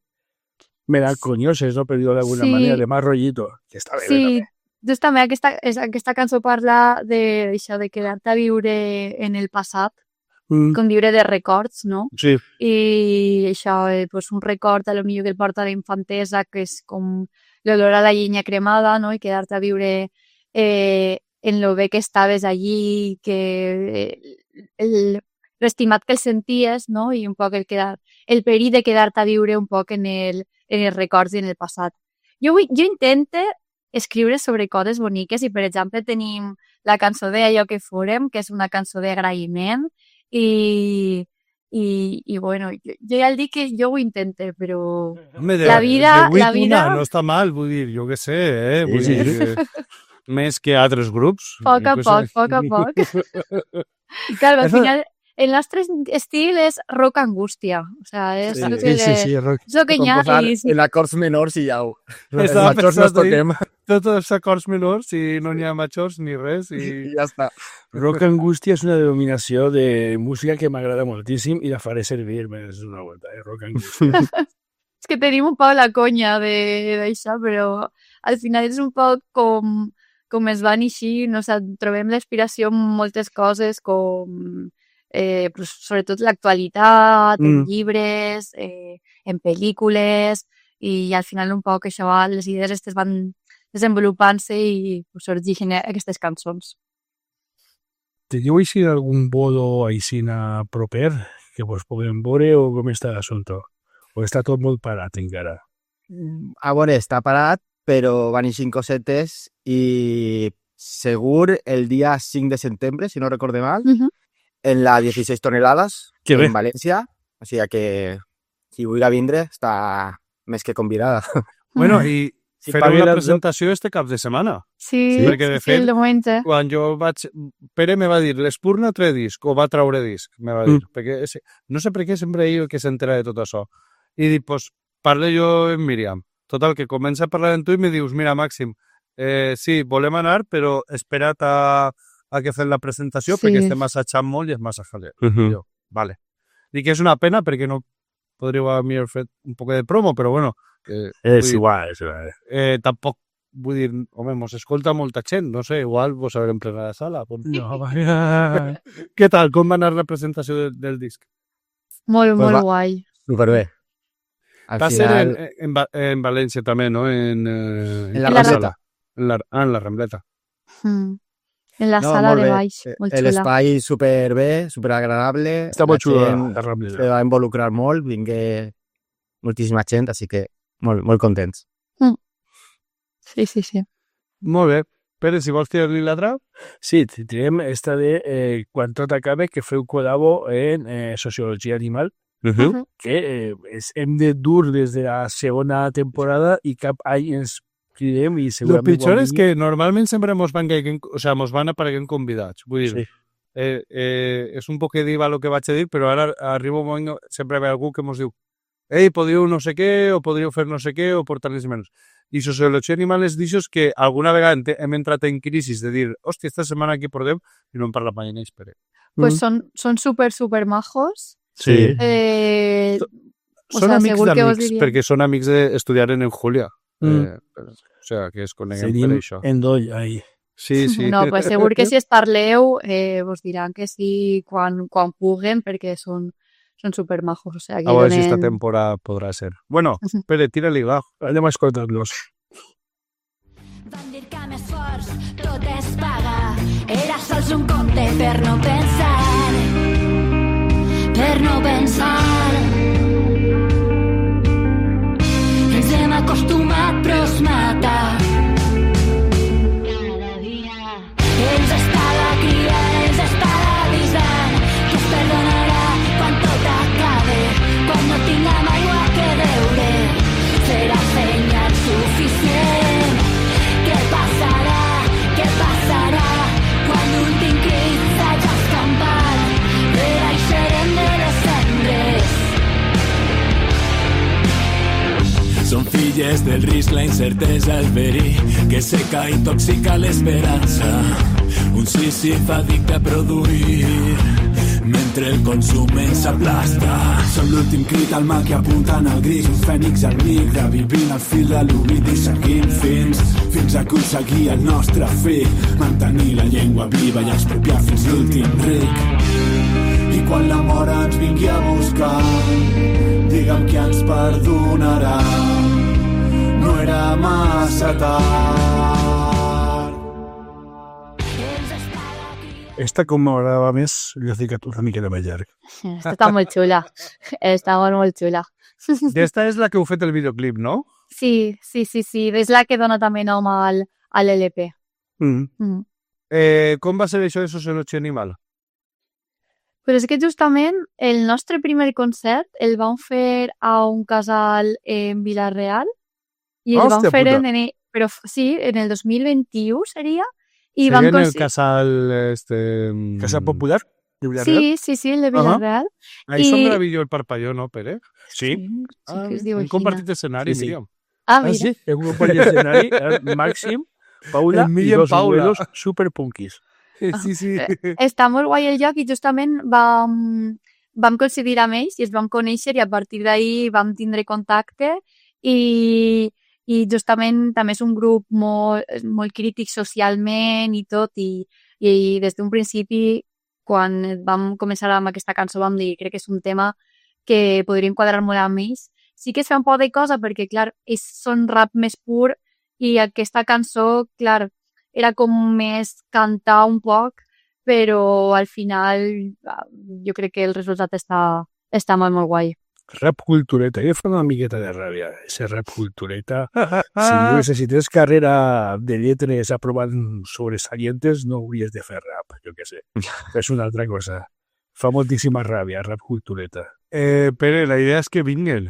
melanconioses, no? Per dir-ho d'alguna Sí. manera, de més rollito. Que està bé, Sí, justament aquesta cançó parla d'això, de quedar-te a viure en el passat, també. com viure de records, no? Sí, I això, pues un record a lo millor que et porta a la infantesa, que és com l'olor a la llenya cremada, no? I quedar-te a viure en lo bé que estaves allí, que l'estimat que el senties, no? I un poc el perill de quedar-te a viure un poc en el en els records i en el passat. Jo intento escriure sobre coses boniques i, per exemple, tenim la cançó d'Allò que fórem, que és una cançó d'agraïment i bueno, jo ja el dic que jo ho intento, però Home, la vida... no està mal, vull dir, jo què sé, vull dir, més que altres grups. Poc a poc. Claro, al final, el nostre estil és rock angústia. O sea, és lo que rock. és lo que hi ha. En acords menors i ja ho... Els Estava majors no pensant toquem Tots els acords menors i no n'hi ha majors ni res. i ja està. Rock angústia és una denominació de música que m'agrada moltíssim i la faré servir més d'una volta, rock angústia. És que tenim un poc la conya d'això, però al final és un poc com es van així, no sé, trobem l'inspiració en moltes coses, com sobretot l'actualitat, en llibres, en pel·lícules, i al final un poc això, les idees aquestes van desenvolupant-se i sorgeixen aquestes cançons. Teniu així algun bodo així proper que vos puguem veure o com està l'assumpte? O està tot molt parat encara? A veure, està parat, però van eixint cosetes i segur el dia 5 de setembre, si no recorde mal, en la 16 tonelades, Que bé. en València. O sigui que qui vulgui vindre està més que convidada. Bueno, i Si farem pagui la les presentació este cap de setmana. Sí, perquè de fet, el diumenge. Quan jo vaig... Pere me va dir, l'Espurna tre disc, o va traure disc, me va dir. Perquè no sé per què sempre ell que s'entera de tot això. I dic, pues, parle jo amb Míriam. Total, que comença a parlar amb tu i me dius, mira, Màxim, sí, volem anar, però espera't a que fem la presentació perquè estem assajant molt i és massa jaler. Jo, vale. Dic que és una pena perquè no podríeu haver fet un poc de promo, però bueno... És igual. Tampoc, vull dir, home, mos escolta molta gent, no sé, igual vos haurem plena la sala. No, vaja. Què tal? Com va anar la presentació del disc? Molt, Pues molt va. guai. Superbé. Va ser en València també, no? En la Rambleta. En la Rambleta. En la No, sala molt de bé. baix, molt xula. L'espai superbé, superagradable. Està molt xula gent la Rambleta. se va involucrar molt, vingué moltíssima gent, així que molt contents. Sí. Molt bé. Pere, si vols tirar-li l'altra? Sí, tindrem esta de quan tot acabe, que feu col·labo en Sociologia Animal, que hem de dur des de la segona temporada i cap any ens cridem i El segurament... pitjor és que normalment sempre mos van apareguent convidats. Vull dir, és un poc diva el que vaig a dir, però ara arriba un moment, sempre ve algú que mos diu ei, podríeu no sé què, o podríeu fer no sé què, o portar-les menys. I Sociologia Animal és d'aixòs que alguna vegada hem entrat en crisi de dir, hòstia, esta setmana aquí portem, i no hem parlat mai en ells, Pere. Pues són super majos. Sí. Són amics segur que vos d'amics, diria. perquè són amics d'estudiar en Julia. O sigui, que es coneguem per Senim això. endoll, ahí. Sí. No, pues segur que si es parleu vos diran que sí quan puguen, perquè són supermajos. O sea, A veure si esta temporada podrà ser. Bueno, Pere, tira-li va. Anem a escoltar-los. Van dir que més forts tot es paga. Era sols un conte per no pensar. Per no pensar. Ens hem acostumat però es mata. Cada dia ens estava cridant, ens estava avisant que es perdonarà quan tot acabe, quan no tinguem aigua que beure. Serà senyal suficient. Què passarà quan l'últim crit s'hagi escampat? Renaixerem de les cendres. Són filles del risc, la incertesa, el verí que seca i intoxica l'esperança. Un sísif addicte a produir mentre el consum ens aplasta. Som l'últim crit al mar que apunten al gris, un fènix al migre, vivint al fil de l'oblit i seguint fins a aconseguir el nostre fi, mantenir la llengua viva i expropiar fins l'últim ric. I quan la mort ens vingui a buscar, digue'm qui ens perdonarà. No era massa tard. Ens estava cridant. Esta, com m'agradava més, li he ficat una mica de més llarg. Esta està molt xula. Està molt xula. D'esta és la que heu fet el videoclip, no? Sí. És la que dona també nom a l'LP. Mm. Com va ser això de Sociologia Animal? Però és que justament el nostre primer concert el vam fer a un casal en Vila-real i el vam Hòstia fer puta. però sí, en el 2021 seria. I Seria vam en el casal... Casa Popular? De Villarreal? Sí, el de Vila-real. Ahí I- són Gravillo el Parpalló, no, Pere? Sí. Sí que es diu hem així. compartit escenari, Sí, sí. Míriam. Ah, Ah, mira. sí? El grup de escenari era Màxim, Paula El i Míriam dos Paula. abuelos superpunkis. Sí. Està molt guai el lloc i justament vam coincidir amb ells i ens vam conèixer i a partir d'ahir vam tindre contacte i justament també és un grup molt crític socialment i tot i des d'un principi quan vam començar amb aquesta cançó vam dir crec que és un tema que podríem quadrar molt amb ells. Sí que es fa un poc de cosa perquè, clar, ells són rap més pur i aquesta cançó, clar, era com més cantar un poc, però al final jo crec que el resultat està molt guai. Rap cultureta. Jo fa una miqueta de ràbia, ese rap cultureta. Si necessites carrera de lletres aprovant sobresalientes, no hauries de fer rap, jo què sé. És una altra cosa. Fa moltíssima ràbia, rap cultureta. Pere, la idea és que vinguin.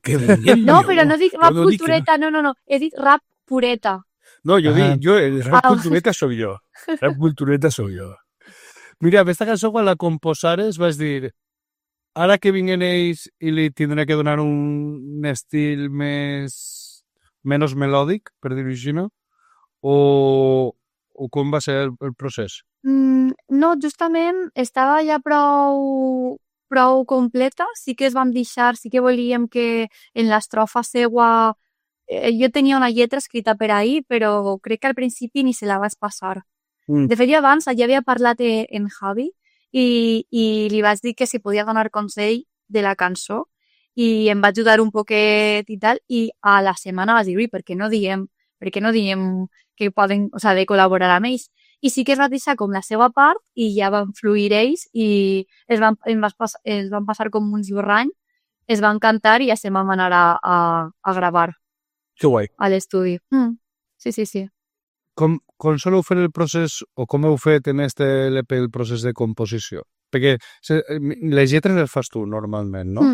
Que venien, No, però no dic rap no dic que cultureta, no. He dit rap pureta. No, jo Ah. dic, el rap Ah. cultureta soc jo. Rap cultureta soc jo. Mira, aquesta cançó quan la composares vas dir ara que vinguen ells i li tindré que donar un estil menys melòdic, per dir-ho així, no? O com va ser el procés? No, justament estava ja prou completa. Sí que es vam deixar, sí que volíem que en l'estrofa seua... jo tenia una lletra escrita per ahir, però crec que al principi ni se la vaig passar. De fet, jo abans ja havia parlat en Javi i li vaig dir que si podia donar consell de la cançó i em va ajudar un poquet i tal, i a la setmana vaig dir, ui, per què no diem que poden, o sea, de col·laborar amb ells? I sí que es va deixar com la seva part i ja van fluir ells i es van passar com un esborrany, es van cantar i ja se'n vam anar a gravar Que guai. a l'estudi. Sí. Com soleu fer el procés o com heu fet en este LP el procés de composició? Perquè les lletres les fas tu normalment, no?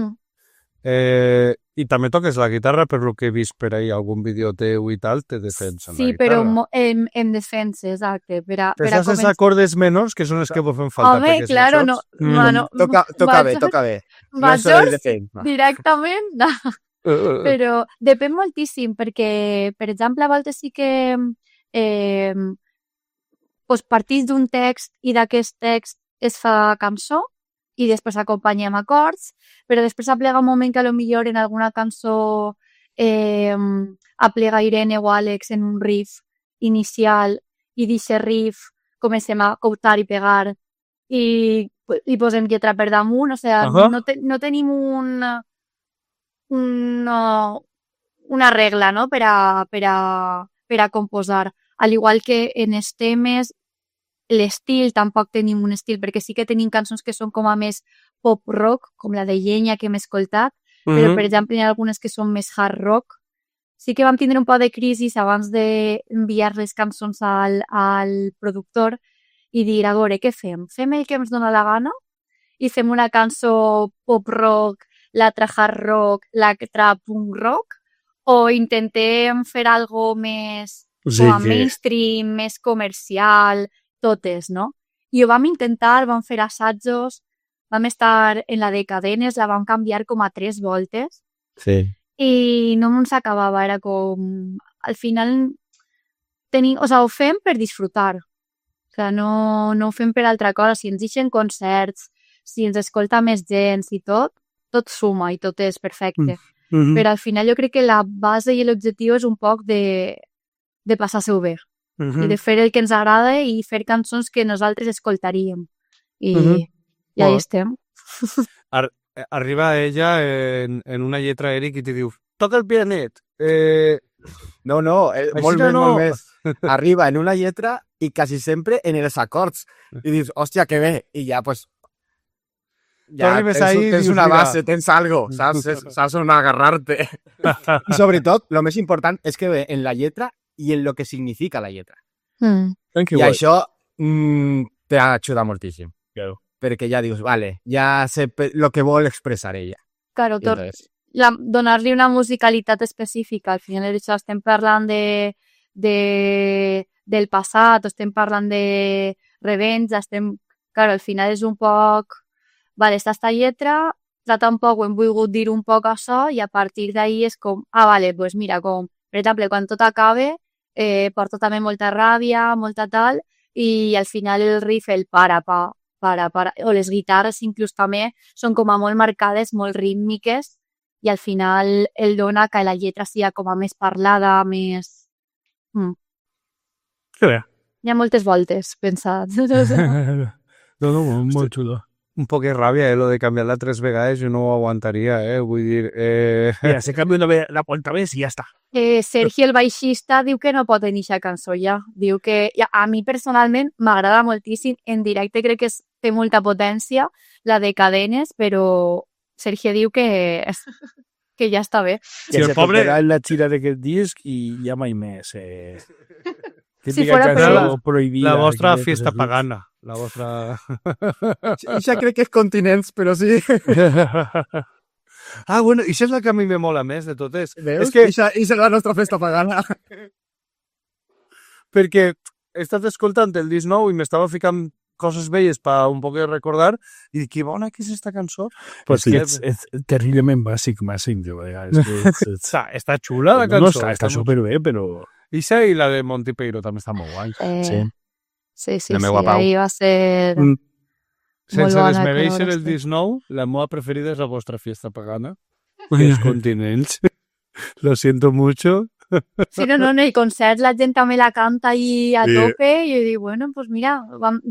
I també toques la guitarra, per lo que he vist per ahí algun vídeo teu i tal, te defensen Sí, la però guitarra. en defensa, exacte. Però saps els acordes menors, que són els que vos fan falta. Home, perquè si claro, no no. saps- Toca bé. No Majors soy de defensa. directament, no. Però depèn moltíssim, perquè, per exemple, a voltes sí que partís d'un text i d'aquest text es fa cançó i després acompanya amb acords, però després aplega un moment que a lo millor en alguna cançó aplega Irene o Àlex en un riff inicial i d'aquest riff comencem a coutar i pegar i posem lletra per damunt, o sigui, no tenim una regla, no?, per a composar. Al igual que en els temes, l'estil, tampoc tenim un estil, perquè sí que tenim cançons que són com a més pop-rock, com la de Llenya que hem escoltat, però, per exemple, hi ha algunes que són més hard rock. Sí que vam tindre un poc de crisi abans d'enviar les cançons al productor i dir, a veure, què fem? Fem el que ens dona la gana i fem una cançó pop-rock, l'altra hard rock, l'altra punk rock, o intentem fer algo més mainstream, més comercial, totes, no? I ho vam intentar, vam fer assajos, vam estar en la de cadenes, la vam canviar com a 3 voltes. Sí. I no ens acabava, era com... Al final, ho fem per disfrutar. O sigui, no ho fem per altra cosa. Si ens deixen concerts, si ens escolta més gent i tot suma i tot és perfecte. Però al final jo crec que la base i l'objectiu és un poc de passar-se-ho bé. I de fer el que ens agrada i fer cançons que nosaltres escoltaríem. I ahí estem. Arriba ella en una lletra, Eric, i te diu, toca el pianet. No, molt més. Arriba en una lletra i quasi sempre en els acords. I dius, hòstia, que bé. I ja, pues... Ja arribes tens, ahí i tens dius, una mira. base, tens algo, saps on agarrar-te. I sobretot, el més important és que ve en la lletra i en lo que significa la lletra. Que I guai. això t'ajuda moltíssim. Claro. Perquè ja dius, vale, ja sé el que vol expressar ella. Claro, I entonces, donar-li una musicalitat específica. Al final d'això estem parlant del passat, estem parlant de revenja, Claro, al final és un poc... Vale, esta lletra, trata un poc, hem volgut dir un poc això, i a partir d'ahí és com... vale, pues mira, com... Per exemple, quan tot acabe, porta també molta ràbia, molta tal, i al final el riff, el para, o les guitarres inclús també són com a molt marcades, molt rítmiques, i al final el dona que la lletra sigui com a més parlada, més... Que bé. Hi ha moltes voltes pensat. No, molt xulo. Un poc de ràbia, lo de canviar-la 3 vegades, jo no ho aguantaria, vull dir... Mira, se canvia la vuelta més i ja està. Sergi, el baixista, diu que no pot tenir aquesta cançó ja. Diu que a mi personalment m'agrada moltíssim. En directe crec que té molta potència, la de Cadenes, però Sergi diu que ja està bé. Si el pobre en la gira d'aquest disc i ja mai més. Si fora per ell. Prohibida. La vostra fiesta pagana. La vostra... Ja crec que és continents, però sí. Bueno, això és la que a mi me mola més de totes. Veus? És que, I serà la nostra festa pagana. perquè he estat escoltant el disc nou i m'estava ficant coses velles per un poc recordar i dic, que bona que és esta cançó. Pues és terriblement bàsic, de vegades. Està xula la cançó. No, està superbé, però... Ixa i la de Monty Peiro també està molt guai. Sí, La meua Pau. ahí va ser... Sense bona, desmereixer que el no disc nou, la meva preferida és la vostra fiesta pagana. Els continents. Lo siento mucho. Sí, no, en el concert la gent també la canta ahí a tope i jo dic, bueno, pues mira,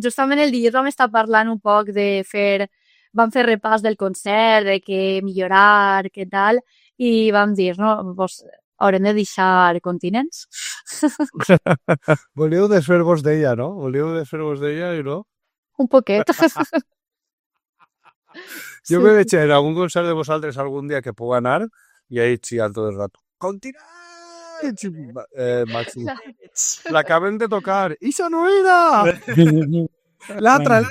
justament el dilluns vam estar parlant un poc vam fer repàs del concert, de què millorar, què tal, i vam dir, no, pues haurem de deixar continents. Volíeu desfer-vos d'ella, no? Volíeu desfer-vos d'ella i no? Un poquet. Jo me veig en algun concert de vosaltres algun dia que puc anar i ahí xiant tot el rato. Continents! Màxim. L'acaben de tocar. Ixa no era! L'altra!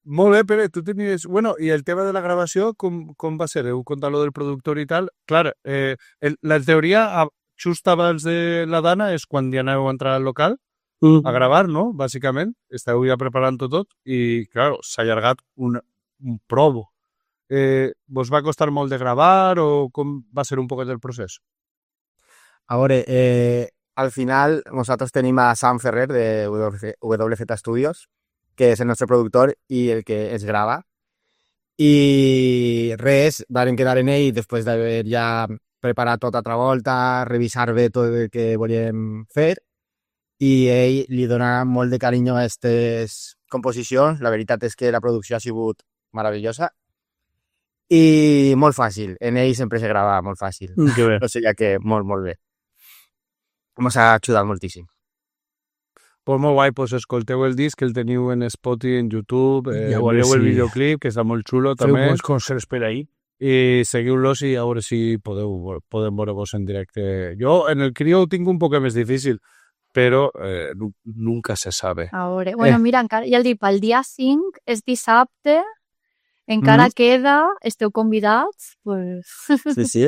Molt bé, Pere, tu tenies... Bueno, i el tema de la gravació, com va ser? Heu contat lo del productor i tal. Clar, la teoria, just abans de la Dana, és quan ja aneu a entrar al local a gravar, no? Bàsicament. Esteu ja preparant-ho tot i, clar, s'ha allargat un provo. Vos va costar molt de gravar o com va ser un poquet el procés? A veure, al final nosaltres tenim a Sam Ferrer de WZ Studios, que és el nostre productor i el que es grava. I res, vam quedar en ell després d'haver ja preparat tota altra volta, revisar bé tot el que volíem fer, i ell li dona molt de carinyo a aquestes composicions. La veritat és que la producció ha sigut meravellosa i molt fàcil. En ell sempre se grava molt fàcil. Que bé. O sigui que molt, molt bé. Ens ha ajudat moltíssim. Pues molt guai, pues escolteu el disc, el teniu en Spotify, en YouTube, I a veure veieu el si- videoclip, que està molt xulo Feu també, bons concerts per ahí. i seguiu-los i a veure si podem veure-vos en directe. Jo en el Crio ho tinc un poc més difícil, però nunca se sabe. A veure, bueno, mira, encara, ja el dic, pel dia 5 és dissabte, encara queda, esteu convidats, pues... Sí, sí.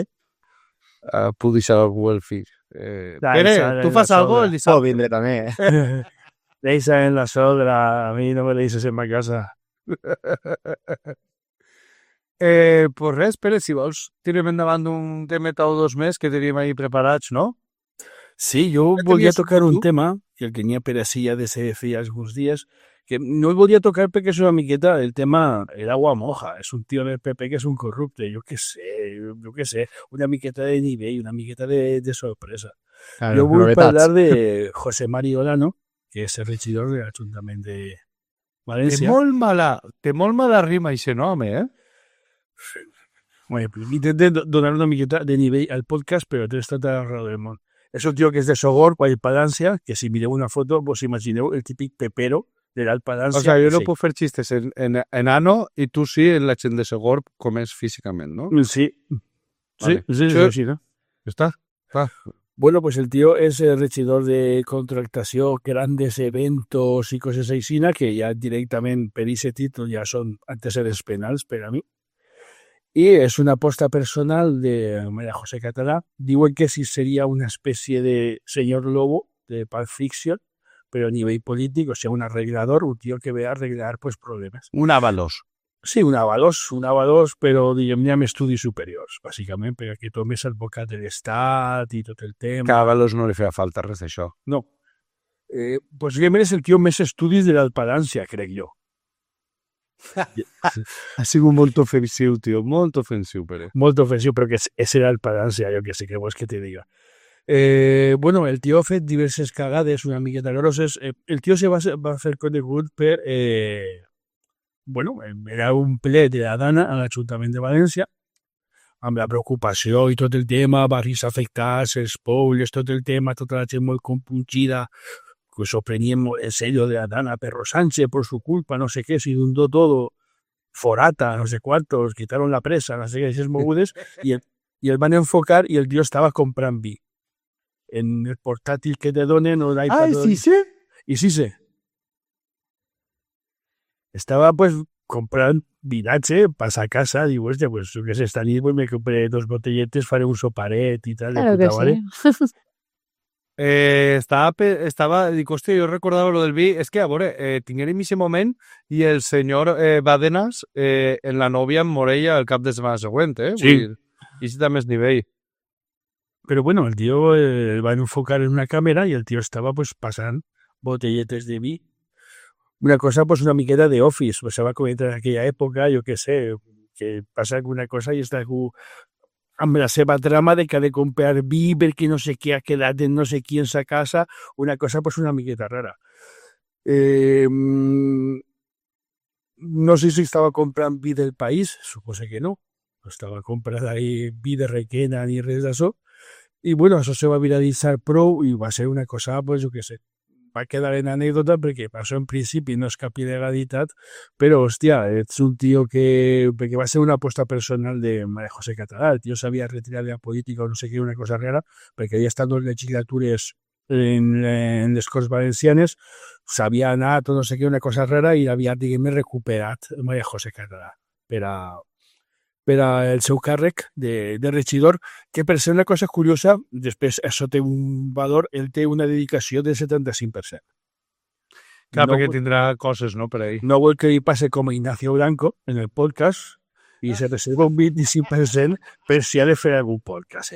Puc deixar algú el fill. Deixa Pere, en tu la fas algo sogra. el Puedo dissabte? vindre també. Deixa en la sogra, a mi no me deixes en ma casa. Pues res, Pere, si vols, tirem endavant un temeta o dos més que teníem ahí preparats, no? Sí, jo Ja volia tenies tocar un tu? tema, que el tenia per així ja de ser feia alguns dies, que no el volia tocar perquè és una miqueta, el tema el agua moja, és un tio del PP que és un corrupte, jo què sé, una miqueta de nivell, una miqueta de sorpresa. Claro, Jo vull novetats. parlar de José Mari Olano, que és el regidor de l'Ajuntament de València. Té molt mala rima, aquest nom, Bueno, intenten donar una miqueta de nivell al podcast, però té tota la raó del món. És un tio que és de Sogorb, Vall Palància, que si mireu una foto vos imagineu el típic pepero de l'Alt Palància. O sea, jo no Sí. puc fer xistes en ano i tu sí en la gent de Segorb com és físicament, ¿no? Sí. Vale. Sí, Sí. sí, ¿no? Està? Clar. Bueno, pues el tío es el regidor de contractación, grandes eventos y cosas así, que ya directamente per ese título ya son antecedentes penals para mí. Y es una aposta personal de María José Català. Digo que sí sería una especie de señor lobo de Pulp Fiction, pero a nivel político, o sea, un arreglador, un tío que ve a arreglar pues problemas. Un Ábalos. Sí, un avalos, però diguem-ne amb estudis superiors, bàsicament, perquè tothom és advocat de l'Estat i tot el tema. Que a Ábalos no li feia falta res d'això. No. Pues diguem és el tio més estudis de l'Alt Palància, crec jo. Ha sigut molt ofensiu, tio, molt ofensiu, Pere. Molt ofensiu, però que és l'Alt Palància, jo que sé, què vols que te diga. Bueno, el tio ha fet diverses cagades una miqueta grosses. El tio se va fer conegut per... bueno, era un ple de la Dana a l'Ajuntament de València, amb la preocupació i tot el tema, barris afectats, els pobles, tot el tema, tota la gent molt compungida, que s'ho prenien molt en serio de la Dana, Perro Sánchez, por su culpa, no sé qué, se inundó todo, Forata, no sé cuántos, quitaron la presa, no sé qué, esas mogudes, i el van enfocar i el tio estava comprant vi. En el portàtil que te donen, o l'iPad... sí, sí? I sí sé. Estaba pues comprando vinatge, pasa a casa, digo, hostia, pues yo que sé, esta nit pues, me compré 2 botelletes, faré un soparet y tal. Claro de que puta madre. sí. Dic, hòstia, jo recordava lo del vi. És que, a veure, tinguérem aquest moment i el senyor Badenas en la nòvia amb Morella el cap de setmana següent, Sí. Vull dir, i si també és nivell. Pero bueno, el tío va a enfocar en una cámara y el tío estaba pues pasando botelletes de vi. Una cosa pues una miqueta de Office, pues se va a comentar en aquella època, jo què sé, que passa alguna cosa i està algú amb la seva trama de que ha de comprar vi perquè no sé què ha quedat en no sé qui en sa casa, una cosa pues una miqueta rara. No sé si estava comprant vi del país, supose que no. No estava comprant ahí vi de Requena ni res d'això. I bueno, això se va viralitzar prou i va ser una cosa, pues jo què sé, va quedar en anècdota perquè això en principi no és cap il·legalitat, però, hòstia, ets un tio que... perquè va ser una aposta personal de María José Català, el tio s'havia retirat de la política o no sé què, una cosa rara, perquè havia estat 2 legislatures en les Corts Valencianes, s'havia anat o no sé què, una cosa rara, i havia, diguem, recuperat María José Català per al seu càrrec de regidor, que per ser una cosa curiosa, després això té un valor, ell té una dedicació del 75%. Clar, No perquè vol- tindrà coses, no, per ahí. No vol que li passe com a Ignacio Blanco en el podcast i se reserva un 25% per si ha de fer algun podcast.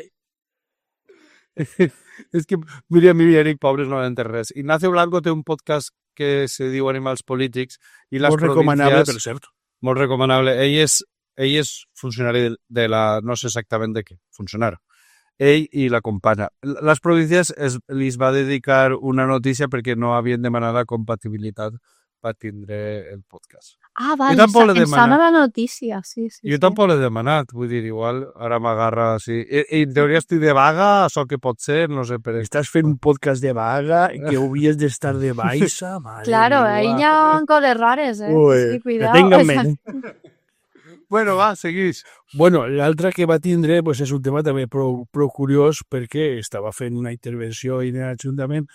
És que, mira, mi Eric, pobres, no han entès res. Ignacio Blanco té un podcast que se diu Animals Polítics i les Molt recomanable, per províncies... cert. Molt recomanable. Ell és funcionari de la... No sé exactament de què. Funcionari. Ell i la companya. Les províncies li va dedicar una notícia perquè no havien demanat la compatibilitat per tindre el podcast. Ah, vale, tampoc l'he em sona demanat. la notícia, sí. Jo tampoc l'he demanat, vull dir, igual ara m'agarra així. I en teoria estic de vaga, això que pot ser, no sé, per Estàs fent un podcast de vaga que hauries d'estar de baixa, madre Claro, meva. ahí ya cosas rares, Ui, sí, que cuidado. tengan O sea, ment. Bueno, va, seguís. Bueno, l'altre que va tindre pues, és un tema també prou curiós perquè estava fent una intervenció en l'Ajuntament,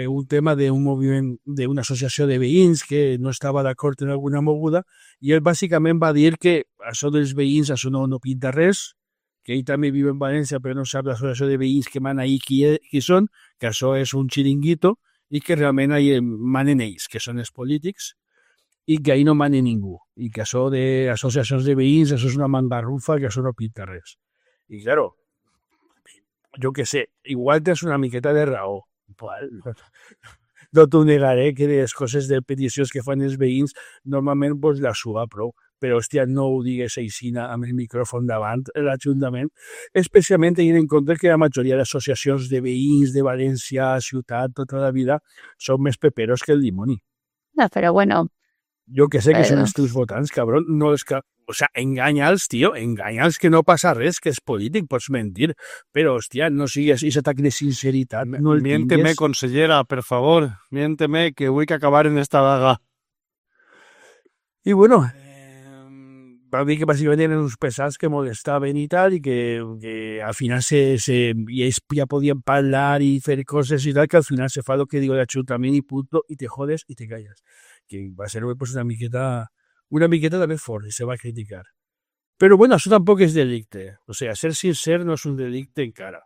un tema d'un moviment, d'una associació de veïns que no estava d'acord en alguna moguda, i ell bàsicament va dir que això dels veïns, això no pinta res, que ell també viu en València però no sap l'associació de veïns que mana ahí qui són, que això és un xiringuito i que realment ahí manen ells, que són els polítics, i que ahí no mane ningú, i que això d'associacions de veïns, això és una mangarrufa, que això no pinta res. I, claro, jo que sé, igual tens una miqueta de raó. No t'ho negaré que les coses de peticions que fan els veïns normalment pues, la suba prou, però, hòstia, no ho digues aixina amb el micròfon davant l'Ajuntament, especialment tenint en compte que la majoria d'associacions de veïns de València, ciutat, tota la vida, són més peperos que el dimoni. no, pero bueno, Jo que sé que són Però- els teus votants, cabron, no és que... O sea, enganya'ls, tio, enganya'ls que no passa res, que és polític, pots mentir, però, hòstia, no sigues aquest atac de sinceritat, no el Miénteme, tingues. consellera, per favor. Miénteme, que vull que acabar en esta vaga. I bueno, va dir que bàsicament eren uns pesats que molestaven i tal, i que al final i ells ja podien parlar i fer coses i tal, que al final se fa el que diu l'Ajuntament i punto, i te jodes i te calles. Que va ser pues, una miqueta també fort, i se va criticar. Però bueno, això tampoc és delicte. O sigui, ser sincer no és un delicte encara.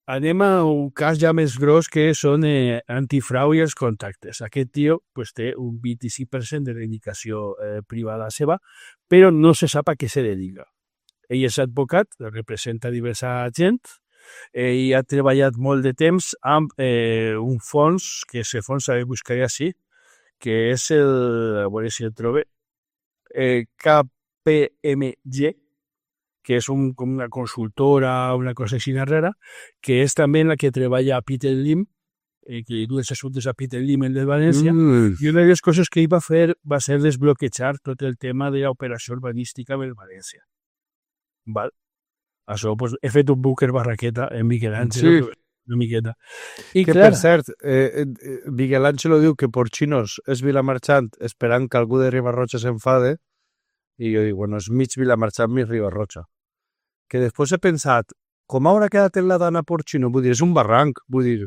Anem a un cas ja més gros que són antifrau i els contactes. Aquest tio pues, té un 25% de dedicació privada seva, però no se sap a què se dedica. Ell és advocat, representa diversa gent, i ha treballat molt de temps amb un fons, que és el fons, a buscar així, que és a veure si el trobe, KPMG, que és com una consultora, una cosa així rara, que és també la que treballa a Peter Lim, que li du els assumptes a Peter Lim, el de València, i una de les coses que ell va fer va ser desbloquejar tot el tema de l'operació urbanística de València. Val? Això, pues, he fet un búnquer barraqueta en Miguel Ángel, Sí. una miqueta. I Que, clar, per cert, Miguel Ángelo diu que Porcinos és Vilamarxant esperant que algú de Ribarroja s'enfade, i jo dic, bueno, és mig Vilamarxant, mig Ribarroja. Que després he pensat, com haurà quedat en la dana Porcino? Vull dir, és un barranc, vull dir,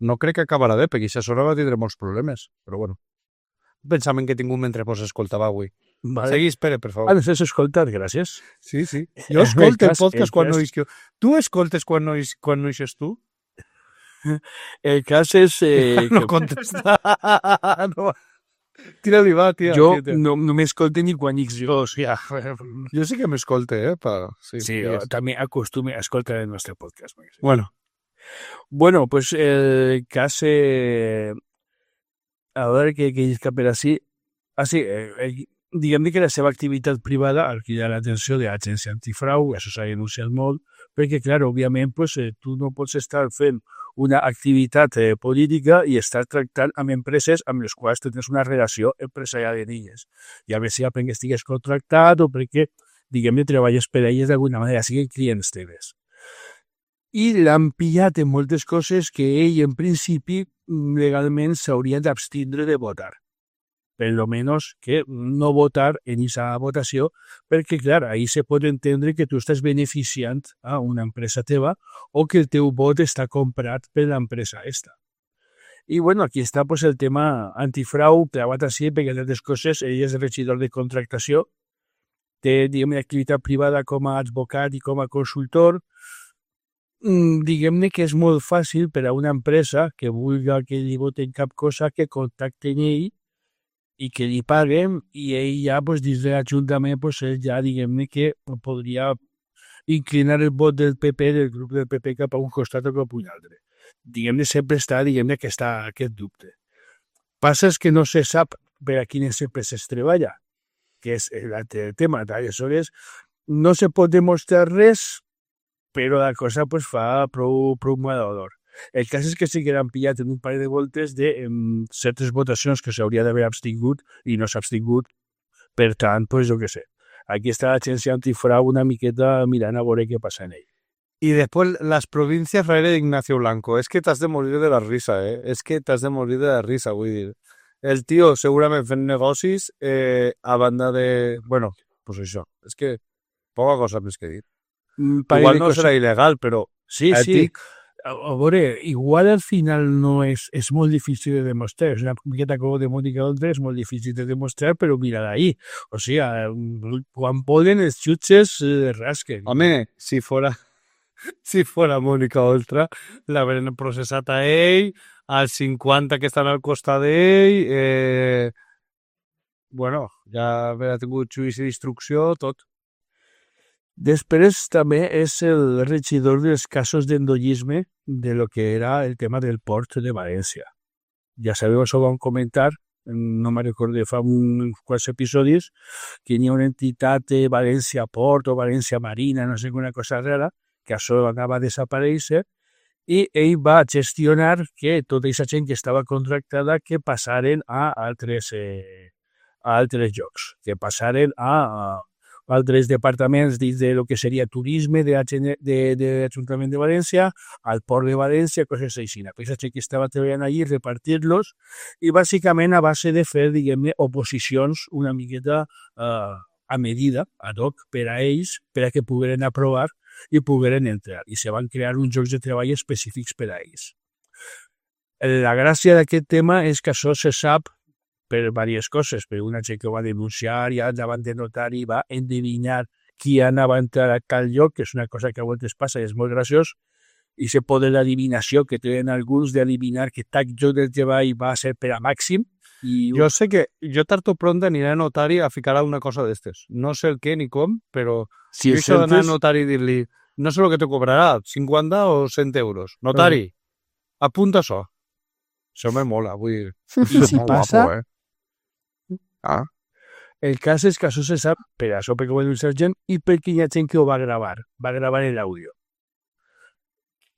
no crec que acabarà bé, perquè aquesta zona va tindre molts problemes, però bueno. Pensament que he tingut mentre vos escoltava avui. vale. Seguís, Pere, per favor. Ah, nos has escoltat, gràcies. Sí, sí. Jo escolto el cas- podcast el quan no cas- isc jo. Tu escoltes quan no ixes tu? El cas és No contesta. No. Tira-li, va, tia. jo tia. no m'escolte ni quan dic jo, o sigui, Jo sí que m'escolte, pa... Sí, sí, digues. també acostume a escoltar el nostre podcast. Bueno, Bueno, pues el cas... a veure què és que per així... sí, diguem que la seva activitat privada ha cridat l'atenció de l'agència antifrau, això s'ha denunciat molt, perquè, clar, òbviament, pues, tu no pots estar fent una activitat política i estar tractant amb empreses amb les quals tens una relació empresarial de elles. Ja bé sigui perquè estigues contractat o perquè, diguem-ne, treballes per a elles d'alguna manera, siguin clients teves. I l'han pillat en moltes coses que ell, en principi, legalment s'hauria d'abstindre de votar. Per lo menos que no votar en aquesta votació, perquè, clar, ahí se pot entendre que tu estàs beneficiant a una empresa teva o que el teu vot està comprat per l'empresa esta. I, bueno, aquí està pues, el tema antifrau, clavat així, perquè entre altres coses, ell és regidor de contractació, té, diguem, activitat privada com a advocat i com a consultor. Diguem-ne que és molt fàcil per a una empresa que vulgui que li voten cap cosa que contacten ell i que li paguen i ell ja, pues, dins de l'Ajuntament, pues, ell ja, diguem-ne que podria inclinar el vot del PP, del grup del PP, cap a un costat o cap a un altre. Diguem-ne, sempre està, diguem-ne, que està aquest dubte. Passa és que no se sap per a quines empreses treballa, que és el tema. Aleshores, no se pot demostrar res, però la cosa pues, fa prou mal olor. El cas és que sí que l'han pillat en un parell de voltes de certes votacions que s'hauria d'haver abstingut i no s'ha abstingut. Per tant, pues, jo què sé. Aquí està l'agència antifrau una miqueta mirant a veure què passa en ell. y después las provincias raere de Ignacio Blanco. Es que t'has de morir de la risa, eh? És que t'has de morir de la risa, vull dir. El tio segurament fent negocis a banda de... Bueno, pues això. És que poca cosa més que dir. Igual no serà il·legal, però Sí, sí. ètic... A veure, igual al final no és molt difícil de demostrar. És una miqueta com de Mónica Oltra, és molt difícil de demostrar, però mira d'ahí. O sigui, quan poden els jutges rasquen. Home, si fora Mónica Oltra, l'haurien processat a ell, als 50 que estan al costat d'ell, bueno, ja haurà tingut judici d'instrucció, tot. Després també és el regidor dels casos d'endollisme de lo que era el tema del port de València. Ja sabeu, això ho vam comentar, no me recordo, fa uns quants episodis, que hi ha una entitat de València Port o València Marina, no sé, una cosa rara, que això anava a desaparèixer, i ell va gestionar que tota aquesta gent que estava contractada que passaren a altres llocs, que passaren a altres departaments dins de lo que seria turisme de l'Ajuntament de València, al Port de València, coses així. Aquesta gent que estava treballant allí, repartir-los, i bàsicament a base de fer, diguem-ne, oposicions una miqueta a medida, ad hoc, per a ells, per a que pogueren aprovar i pogueren entrar. I se van crear uns llocs de treball específics per a ells. La gràcia d'aquest tema és que això se sap per diverses coses, per una gent que ho va denunciar ja davant de notari va endevinar qui anava a entrar a tal lloc, que és una cosa que a voltes passa i és molt graciós, i se poder l'adivinació que tenen alguns d'adivinar que tal lloc del treball va ser per a màxim. I Jo sé que jo tard o pront aniré a notari a ficar alguna cosa d'estes. No sé el què ni com, però si jo això d'anar a notari i dir-li no sé el que te cobrarà, 50 o 100 euros. Notari, apunta això. Això me mola, vull dir. I si molt passa, guapo, el cas és que això se sap per això perquè ho va denunciar gent i perquè hi ha gent que ho va gravar l'àudio.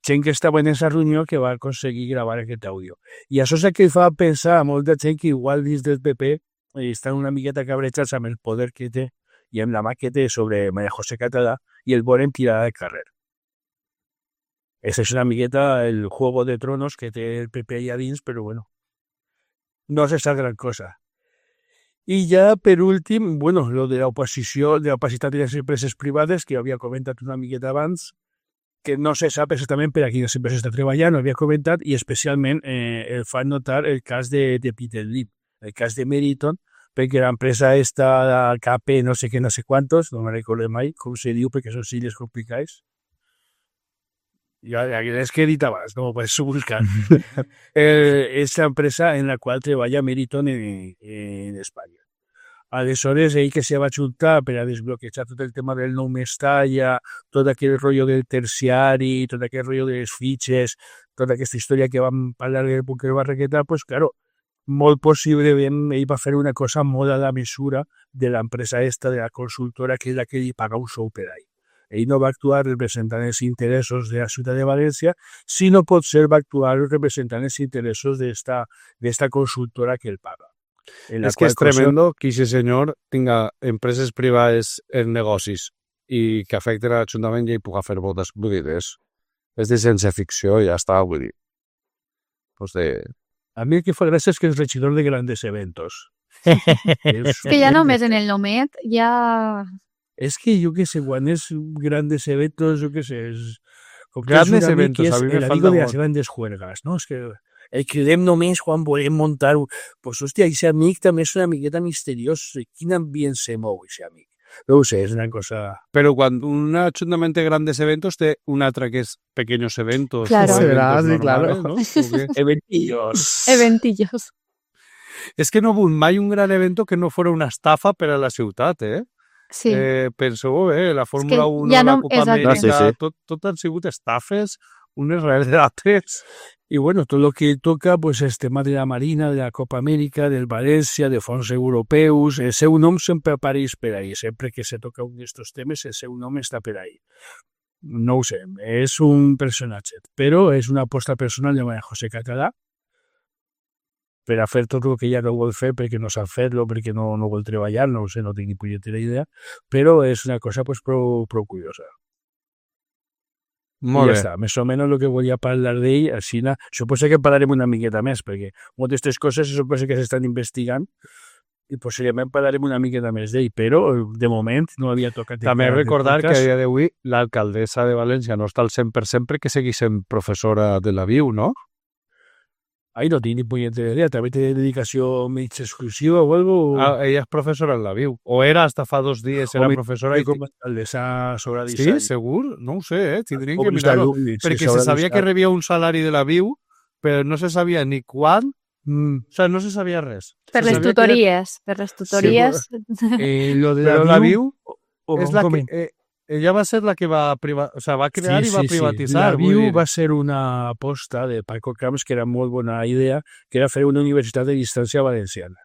Gent que estava en aquesta reunió que va aconseguir gravar aquest àudio. I això és el que fa pensar a molta gent que igual dins del PP estan una miqueta cabrejats amb el poder que té i amb la mà que té sobre María José Català i el volen tirar al carrer. Esa és una miqueta el juego de tronos que té el PP allà dins, però bueno, no se sap gran cosa. I ja, per últim, bueno, lo de l'oposició, de l'opacitat de les empreses privades, que havia comentat una miqueta abans, que no se sap exactament per a quines empreses està treballant, ho havia comentat, i especialment el fa notar el cas de Peter Lim, el cas de Meriton, perquè l'empresa està KP no sé què, no sé quantos, no me recordo mai com se diu, perquè són sigles complicats. És que he dit abans, no ho pots buscar. És l'empresa en la qual treballa Meriton en Espanya. Aleshores, ell que se va juntar per a desbloquejar tot el tema del nou Mestalla, tot aquell rotllo del terciari, tot aquell rotllo de les fitxes, tota aquesta història que vam parlar del Bunker Barraqueta, pues claro, molt possiblement ell va fer una cosa molt a la mesura de l'empresa esta, de la consultora, que és la que li paga un sou per ahí. Ell no va actuar representant els interessos de la ciutat de València, sinó potser va actuar representant els interessos d'esta consultora que el paga. És que és tremendo que aquest senyor tinga empreses privades en negocis i que afecten a l'Ajuntament i ell pugui fer votes. Vull dir, és de sense ficció i ja està, vull dir. Pues A mi el que fa gràcia és que és regidor de grandes eventos. És que ja només en el nomet ja... És que jo què sé, quan és grandes eventos, jo què sé, és... Grandes eventos, a mi me falta falta de les grandes juergas, no? És que el cridem només quan volem muntar... Pues, hòstia, aquest amic també és una miqueta misteriós. Quin ambient se mou, aquest amic? No ho sé, és una cosa... Però quan un ajuntament té grandes eventos, té un altre que és pequeños eventos. Claro. O eventos Sí, claro. normales, ¿no? Eventillos. Eventillos. És que no vull mai un gran evento que no fora una estafa per a la ciutat, eh? Sí. Penseu bé, la Fórmula 1, ja la no- Copa exacte. Amèrica, Sí. tot han sigut estafes, unes darrere d'altres. Y bueno, todo lo que toca, pues, el tema de la Marina, de la Copa Amèrica, del València, de fons europeus, el seu nom sempre apareix per ahí. Sempre que se toca un d'estos temes, el seu nom està per ahí. No ho sé, és un personatge, però és una aposta personal de María José Català per a fer tot el que ja no vol fer perquè no sap fer-lo, perquè no vol treballar, no ho sé, no tinc ni punyetera idea, però és una cosa pues, prou curiosa. Molt I ja bé. està, més o menys el que volia parlar d'ell, així, suposo que parlarem una miqueta més, perquè moltes d'aquestes coses suposo que s'estan investigant i possiblement parlarem una miqueta més d'ell, però de moment no havia tocat... També entrar en el recordar que a podcast. dia d'avui l'alcaldessa de València no està al 100% perquè seguís sent professora de la VIU, no? Ai, no tinc ni punyetera idea, també té dedicació mig exclusiva o algo. Ella és professora en la VIU. O era hasta fa 2 dies, era O professora. com alcaldessa sobre Sí, disseny. segur? No ho sé, tindríem O que mis mirar-ho. d'alumnis, Perquè sobre se sabia disseny. que rebia un salari de la VIU, però no se sabia ni quan, o sigui, no se sabia res. Per Se les sabia que tutories. Per les tutories. Lo de Però la VIU o és la com- que... ella va ser la que va va crear i va privatitzar. La vull VIU dir. va ser una aposta de Paco Camps, que era molt bona idea, que era fer una universitat de distància valenciana.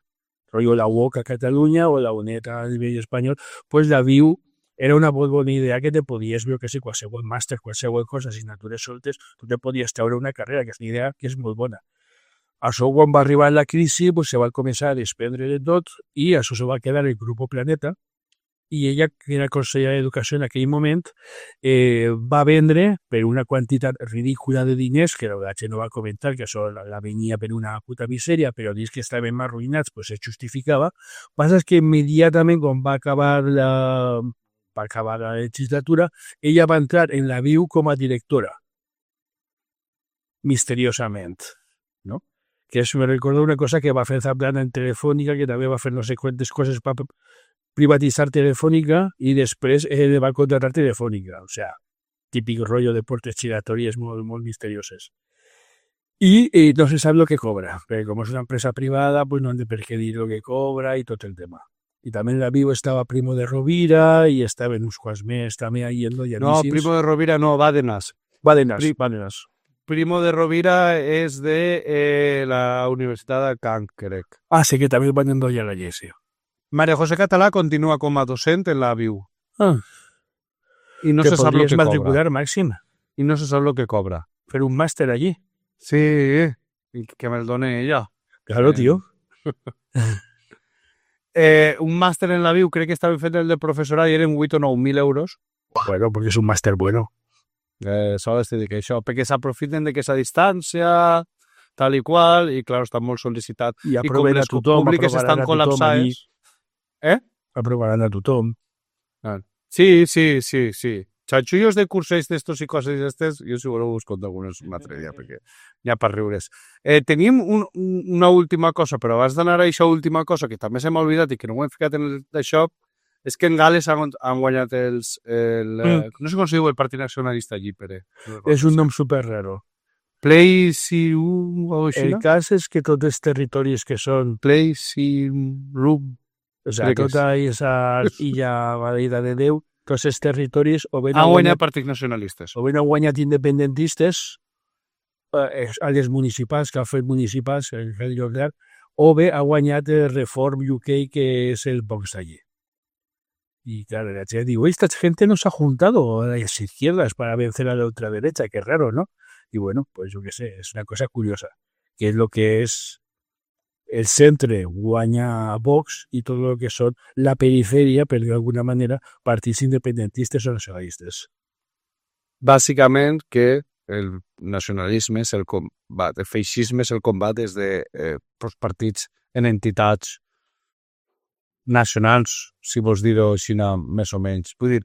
Rollo la UOC a Catalunya o la UNED a nivell espanyol. Pues la VIU era una molt bona idea que te podies, jo que sé, qualsevol màster, qualsevol cosa, assignatures soltes, tu te podies treure una carrera, que és una idea que és molt bona. Això, quan va arribar la crisi, pues, se va començar a desprendre de tot i això se va quedar el Grupo Planeta, i ella, que era consellera d'Educació en aquell moment, va vendre per una quantitat ridícula de diners, que la gent no va comentar, que això la venia per una puta misèria, però dins que estaven arruïnats, pues se justificava. Passa que immediatament, quan va acabar la legislatura, ella va entrar en la VIU com a directora. Misteriosament, no? Que això me recorda una cosa que va fer Zaplana en Telefònica, que també va fer no sé quantes coses per privatitzar Telefònica i després va contratar Telefònica. O sea, típic rotllo de portes giratòries molt misterioses. I no se sap el que cobra, perquè com és una empresa privada, pues no han de per què dir el que cobra i tot el tema. I també en la VIU estava Primo de Rovira i estaven uns quants més també ahí en No, Primo de Rovira no, Bárcenas. Bárcenas. Primo de Rovira és de la Universitat de Caen, crec. Ah, sí que també van endollar la Llesio. María José Català continua com a docent en la VIU. Ah. I no Que se sap el podries que cobra. matricular, Màxim, I no se sap el que cobra. fer un màster allí. Sí, i que me'l done ella. Claro, tío. Un màster en la VIU, crec que estava fet el de professorat i eren 8 o 9.000 euros. Bueno, porque es un máster bueno. Sols t'he dit que això, perquè s'aprofiten de que és a distància, tal i qual, i clar, està molt sol·licitat. I com aproven a les tothom, públiques estan col·lapsades. Aprovaran a tothom. Sí. Xanxullos de cursos d'estos i coses d'estes, jo si voleu us conto algunes un altre dia, perquè n'hi ha per riure's. Tenim una última cosa, però abans d'anar a aquesta última cosa, que també se m'ha oblidat i que no ho hem ficat en d'això, és que en Gales han guanyat no sé com se diu el Partit Nacionalista allí, Pere. És un nom super raro. Play-si-ru o així, El cas és que tots els territoris que són, Play-si-ru. o sigui, tota aquesta illa valida de Déu, tots els territoris o ben Han guanyat partits nacionalistes. han guanyat independentistes a les municipals, que han fet municipals, el Rei Jordà, o bé ha guanyat el Reform UK, que és el Vox allí. Y claro, la gente digo, esta gente nos ha juntado a las izquierdas para vencer a la ultraderecha, qué raro, ¿no? Y bueno, pues yo qué sé, es una cosa curiosa, que es lo que es el centre guanya Vox i tot el que són la periferia, per dir d'alguna manera, partits independentistes o nacionalistes. Bàsicament que el nacionalisme és el combat, el feixisme és el combat des de partits en entitats nacionals, si vols dir-ho així més o menys. Vull dir,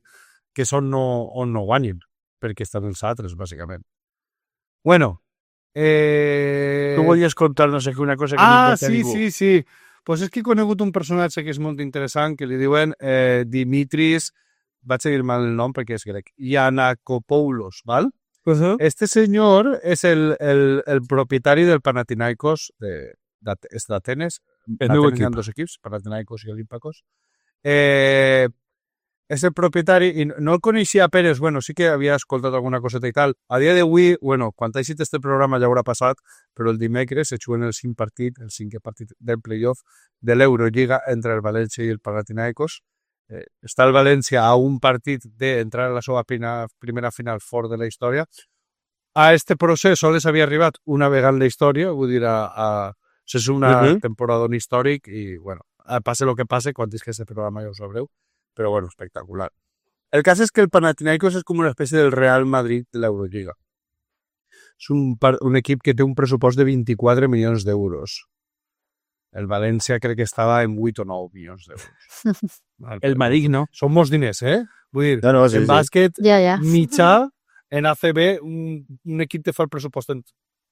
que són on no guanyin, perquè estan els altres, bàsicament. Bueno, Tu volies contar no sé què, una cosa que no importa a ningú. sí. Pues és que he conegut un personatge que és molt interessant, que li diuen Dimitris, vaig a dir mal el nom perquè és grec, Giannakopoulos, val? Este senyor és el propietari del Panathinaikos d'Atenes. El meu Hi ha equip. dos equips, Panathinaikos i Olímpacos. És el propietari, i no el coneixia a Pérez, bueno, sí que havia escoltat alguna coseta i tal. A dia d'avui, bueno, quan ha eixit este programa ja haurà passat, però el dimecres se juguen el cinquè partit del playoff de l'Eurolliga entre el València i el Panathinaikos. Està el València a un partit d'entrar a la seva primera final fort de la història. A este procés sols havia arribat una vegada en la història, vull dir, és una temporada històric i, bueno, passe el que passe, quan és que aquest programa ja ho sabreu, però, bueno, espectacular. El cas és que el Panathinaikos és com una espècie del Real Madrid de l'Eurolliga. És un equip que té un pressupost de 24 milions d'euros. El València crec que estava en 8 o 9 milions d'euros. El maligno. Són molts diners, Vull dir, No, sí, en sí. bàsquet Ja. mitjà, en ACB, un equip te fa el pressupost en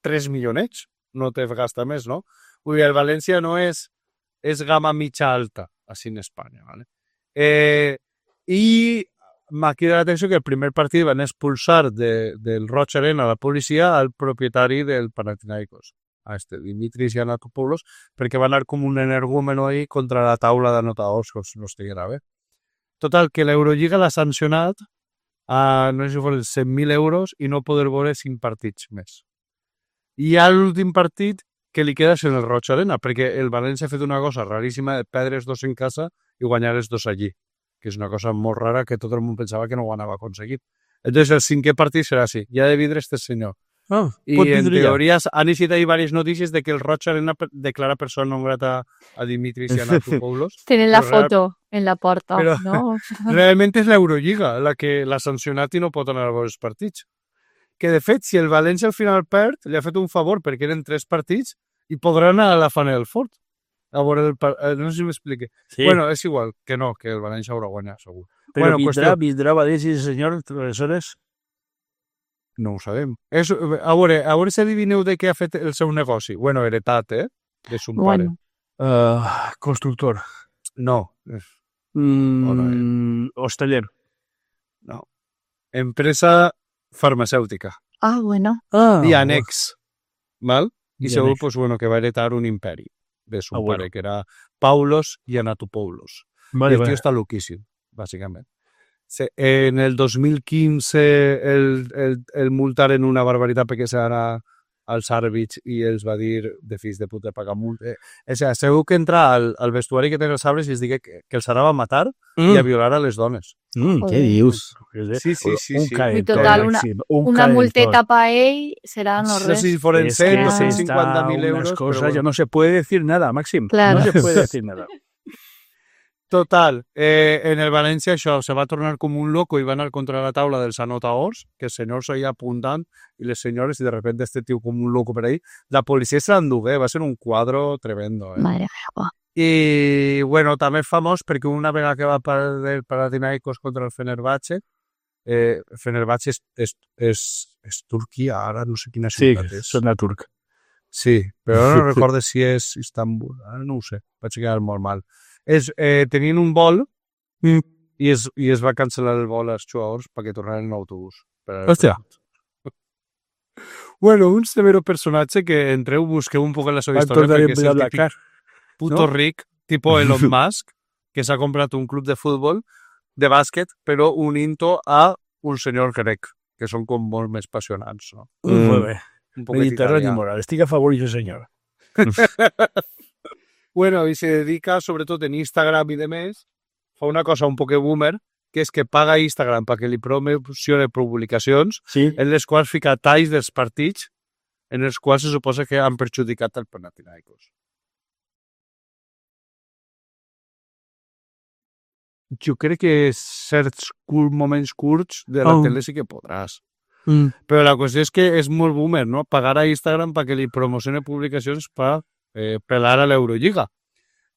3 milionets, no te gasta més, no? Vull dir, el València no és gamma mitja alta, així en Espanya, ¿vale? I m'ha cridat l'atenció que el primer partit van expulsar del Roig Arena la policia al propietari del Panathinaikos, a Dimitris Giannakopoulos, perquè va anar com un energúmeno ahí contra la taula d'anotadors, com no estiguera bé. Total, que l'Eurolliga l'ha sancionat a, no sé si foren 100.000 euros i no poder veure 5 partits més. I a l'últim partit que li queda és en el Roig Arena, perquè el València ha fet una cosa raríssima de perdre els dos en casa i guanyar els dos allí. que és una cosa molt rara que tot el món pensava que no ho anava aconseguit. Entonces el 5è partit serà així. Ja de vidre este senyor. Ah, I en teoria han eixit ahí diverses notícies de que el Roig Arena declara persona non grata a Dimitris Giannatopoulos. Tienen la Pero foto en la porta, Pero- ¿no? Realment és l'Eurolliga la que l'ha sancionat i no pot anar a veure els partits. Que, de fet, si el València al final perd, li ha fet un favor perquè eren 3 partits i podrà anar a la Final Four. A veure no sé si m'explique. Sí, Bueno, és igual, que no, que el València haurà guanyat, segur. però bueno, vindrà València, ese senyor, aleshores? No ho sabem. A veure si adivineu de què ha fet el seu negoci. Bueno, heretat, de son pare. Bueno, Constructor. No, Hosteller. no. Empresa farmacèutica. ah, bueno. Dianex. Val? I Dianex. segur, pues, bueno, que va heretar un imperi de son bueno. pare, que era Paulos Giannatopoulos. Vale, I el tio està loquíssim, bàsicament. En el 2015 el multaren una barbaritat perquè s'anà als àrbits i els va dir de fills de puta pagar multa. O sigui, segur que entra al vestuari que té els arbres i es digui que els anava a matar i a violar a les dones. Què dius? Sí. I total, una multeta para ell serà no No sé res. si foren Es 100 que o se 150.000 está euros, unas però cosas, bueno. ya no se puede decir nada, Máxim. Claro. No se puede decir nada. Total, en el València això se va tornar com un loco i va anar contra la taula dels anotadors, que el senyor s'havia apuntant i les senyores, i de repente este tio com un loco per ahí. La policia se l'endugué, va ser un quadro tremendo. Madre meva. I, bueno, també és famós perquè una vegada que va perdre el Panathinaikos contra el Fenerbahce, Fenerbahce és Turquia, ara no sé quina Sí, ciutat és. sona turc. Sí, però no recordo si és Istanbul, ara no ho sé, vaig quedar molt mal. Tenien un vol i es va cancel·lar el vol als jugadors perquè tornaren en autobús. Hòstia. Bueno, un severo personatge que entreu, busqueu un poc en la seva història perquè és el típic puto ¿no? ric, tipo Elon Musk, que s'ha comprat un club de futbol, de bàsquet, però unint-ho a un senyor grec, que són com molt més passionants, no? Molt bé. Un poquet Mediterrani italià. moral. Estic a favor d'això, senyor. Bueno, i se dedica, sobretot en Instagram i demés, fa una cosa un poc boomer, que és que paga Instagram perquè li promocione publicacions Sí. en les quals fica talls dels partits en els quals se suposa que han perjudicat el Panathinaikos. Jo crec que certs moments curts de la tele sí que podràs. Però la qüestió és que és molt boomer, no? Pagar a Instagram perquè li promocione publicacions per pelar a l'Eurolliga.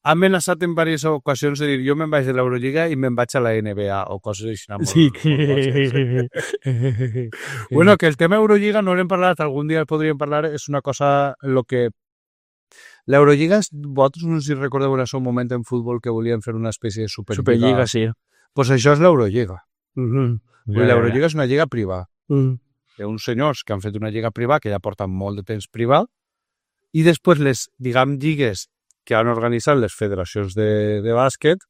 Ha amenaçat en diverses ocasions de dir jo me'n vaig de l'Eurolliga i me'n vaig a la NBA o coses així. Sí. Bueno, que el tema Eurolliga no l'hem parlat, algun dia el podríem parlar, és una cosa en lo que... L'Eurolliga, vosaltres no sé si recordeu en el seu moment en futbol que volien fer una espècie de Superliga. Superliga, sí. Pues això és l'Eurolliga. Ja, L'Eurolliga és una lliga privada. ja. Hi ha uns senyors que han fet una lliga privada que ja porten molt de temps privada i després les, diguem, lligues que han organitzat les federacions de bàsquet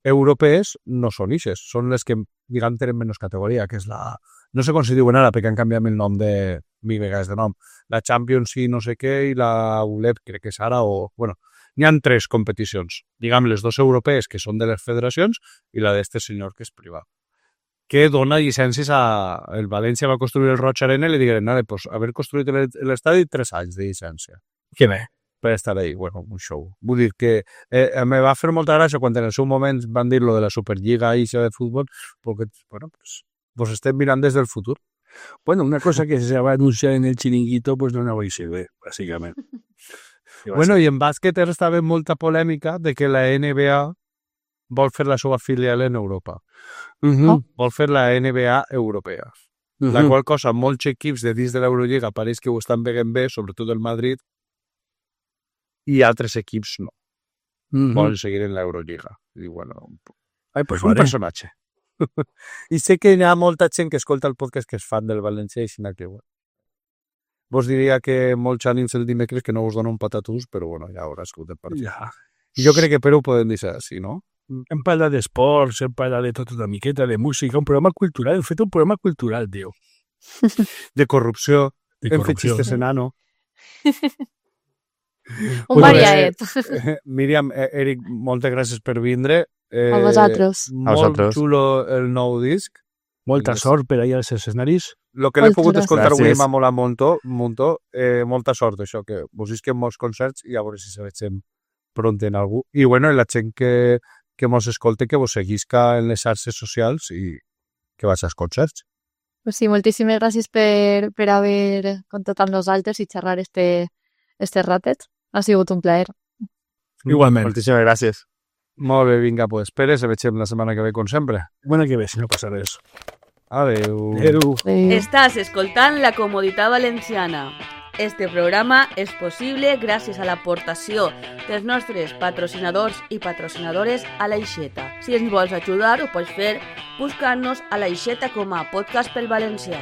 europees no són ixes, són les que, diguem, tenen menys categoria, que és la... No sé com se diuen ara, perquè han canviat el nom de... mil vegades de nom. La Champions i no sé què, i la ULEP, crec que és ara, o... Bueno, n'hi ha 3 competicions. Diguem, les 2 europees, que són de les federacions, i la d'este senyor, que és privat, que dona llicències a... El València va construir el Roig Arena i li digueren, nada, pues, haver construït l'estadi 3 anys de llicència Que bé. per estar ahí. Bueno, un show. Vull dir que me va fer molta gràcia quan en el seu moment van dir lo de la Superliga i això de futbol, perquè, bueno, pues estem mirant des del futur. Bueno, una cosa que se va a anunciar en el chiringuito, pues no va a servir, básicamente. Bueno, i en bàsquet estava molta polèmica de que la NBA vol fer la seva filial en Europa. Vol fer la NBA europea. La qual cosa, molts equips de dins de l'Eurolliga pareix que ho estan veient bé, sobretot el Madrid, i altres equips no. Volen seguir en l'Eurolliga. I bueno, Ai, pues un vale. personatge. I sé que hi ha molta gent que escolta el podcast que és fan del València i sinó que, bueno, vos diria que molts ànims el dimecres que no us dona un patatús, però bueno, ja haurà escoltat el partit. Ja. Jo crec que Perú ho podem dir així, no? Hem parlat d'esports, hem parlat de tot una miqueta, de música, un programa cultural, hem fet un programa cultural, tio. De corrupció, De hem fet corrupció. xistes enano. Un variaet. Míriam, Eric, moltes gràcies per vindre. A vosaltres. A vosaltres. Molt xulo el nou disc. Molta sort per ahir als escenaris. El que l'he Moltes pogut gràcies. escoltar avui Gràcies. m'ha molat muntó. Molta sort, això, que vos isquen molts concerts i a veure si se veiem pront en algú. I bueno, la gent que mos escolte, que vos seguisca en les xarxes socials i que vaig als concerts. Pues sí, moltíssimes gràcies per haver contat amb nosaltres i xerrar este ratet. Ha sigut un plaer. Igualment. Moltíssimes gràcies. Molt bé, vinga, pues, Pere, se veiem la setmana que ve, com sempre. Bona que ve, si no passa res. Adeu. Adéu. Estàs escoltant La Comoditat Valenciana. Este programa és possible gràcies a l'aportació dels nostres patrocinadors i patrocinadores a l'Aixeta. Si ens vols ajudar, ho pots fer buscant-nos a l'Aixeta com a podcast pel valencià.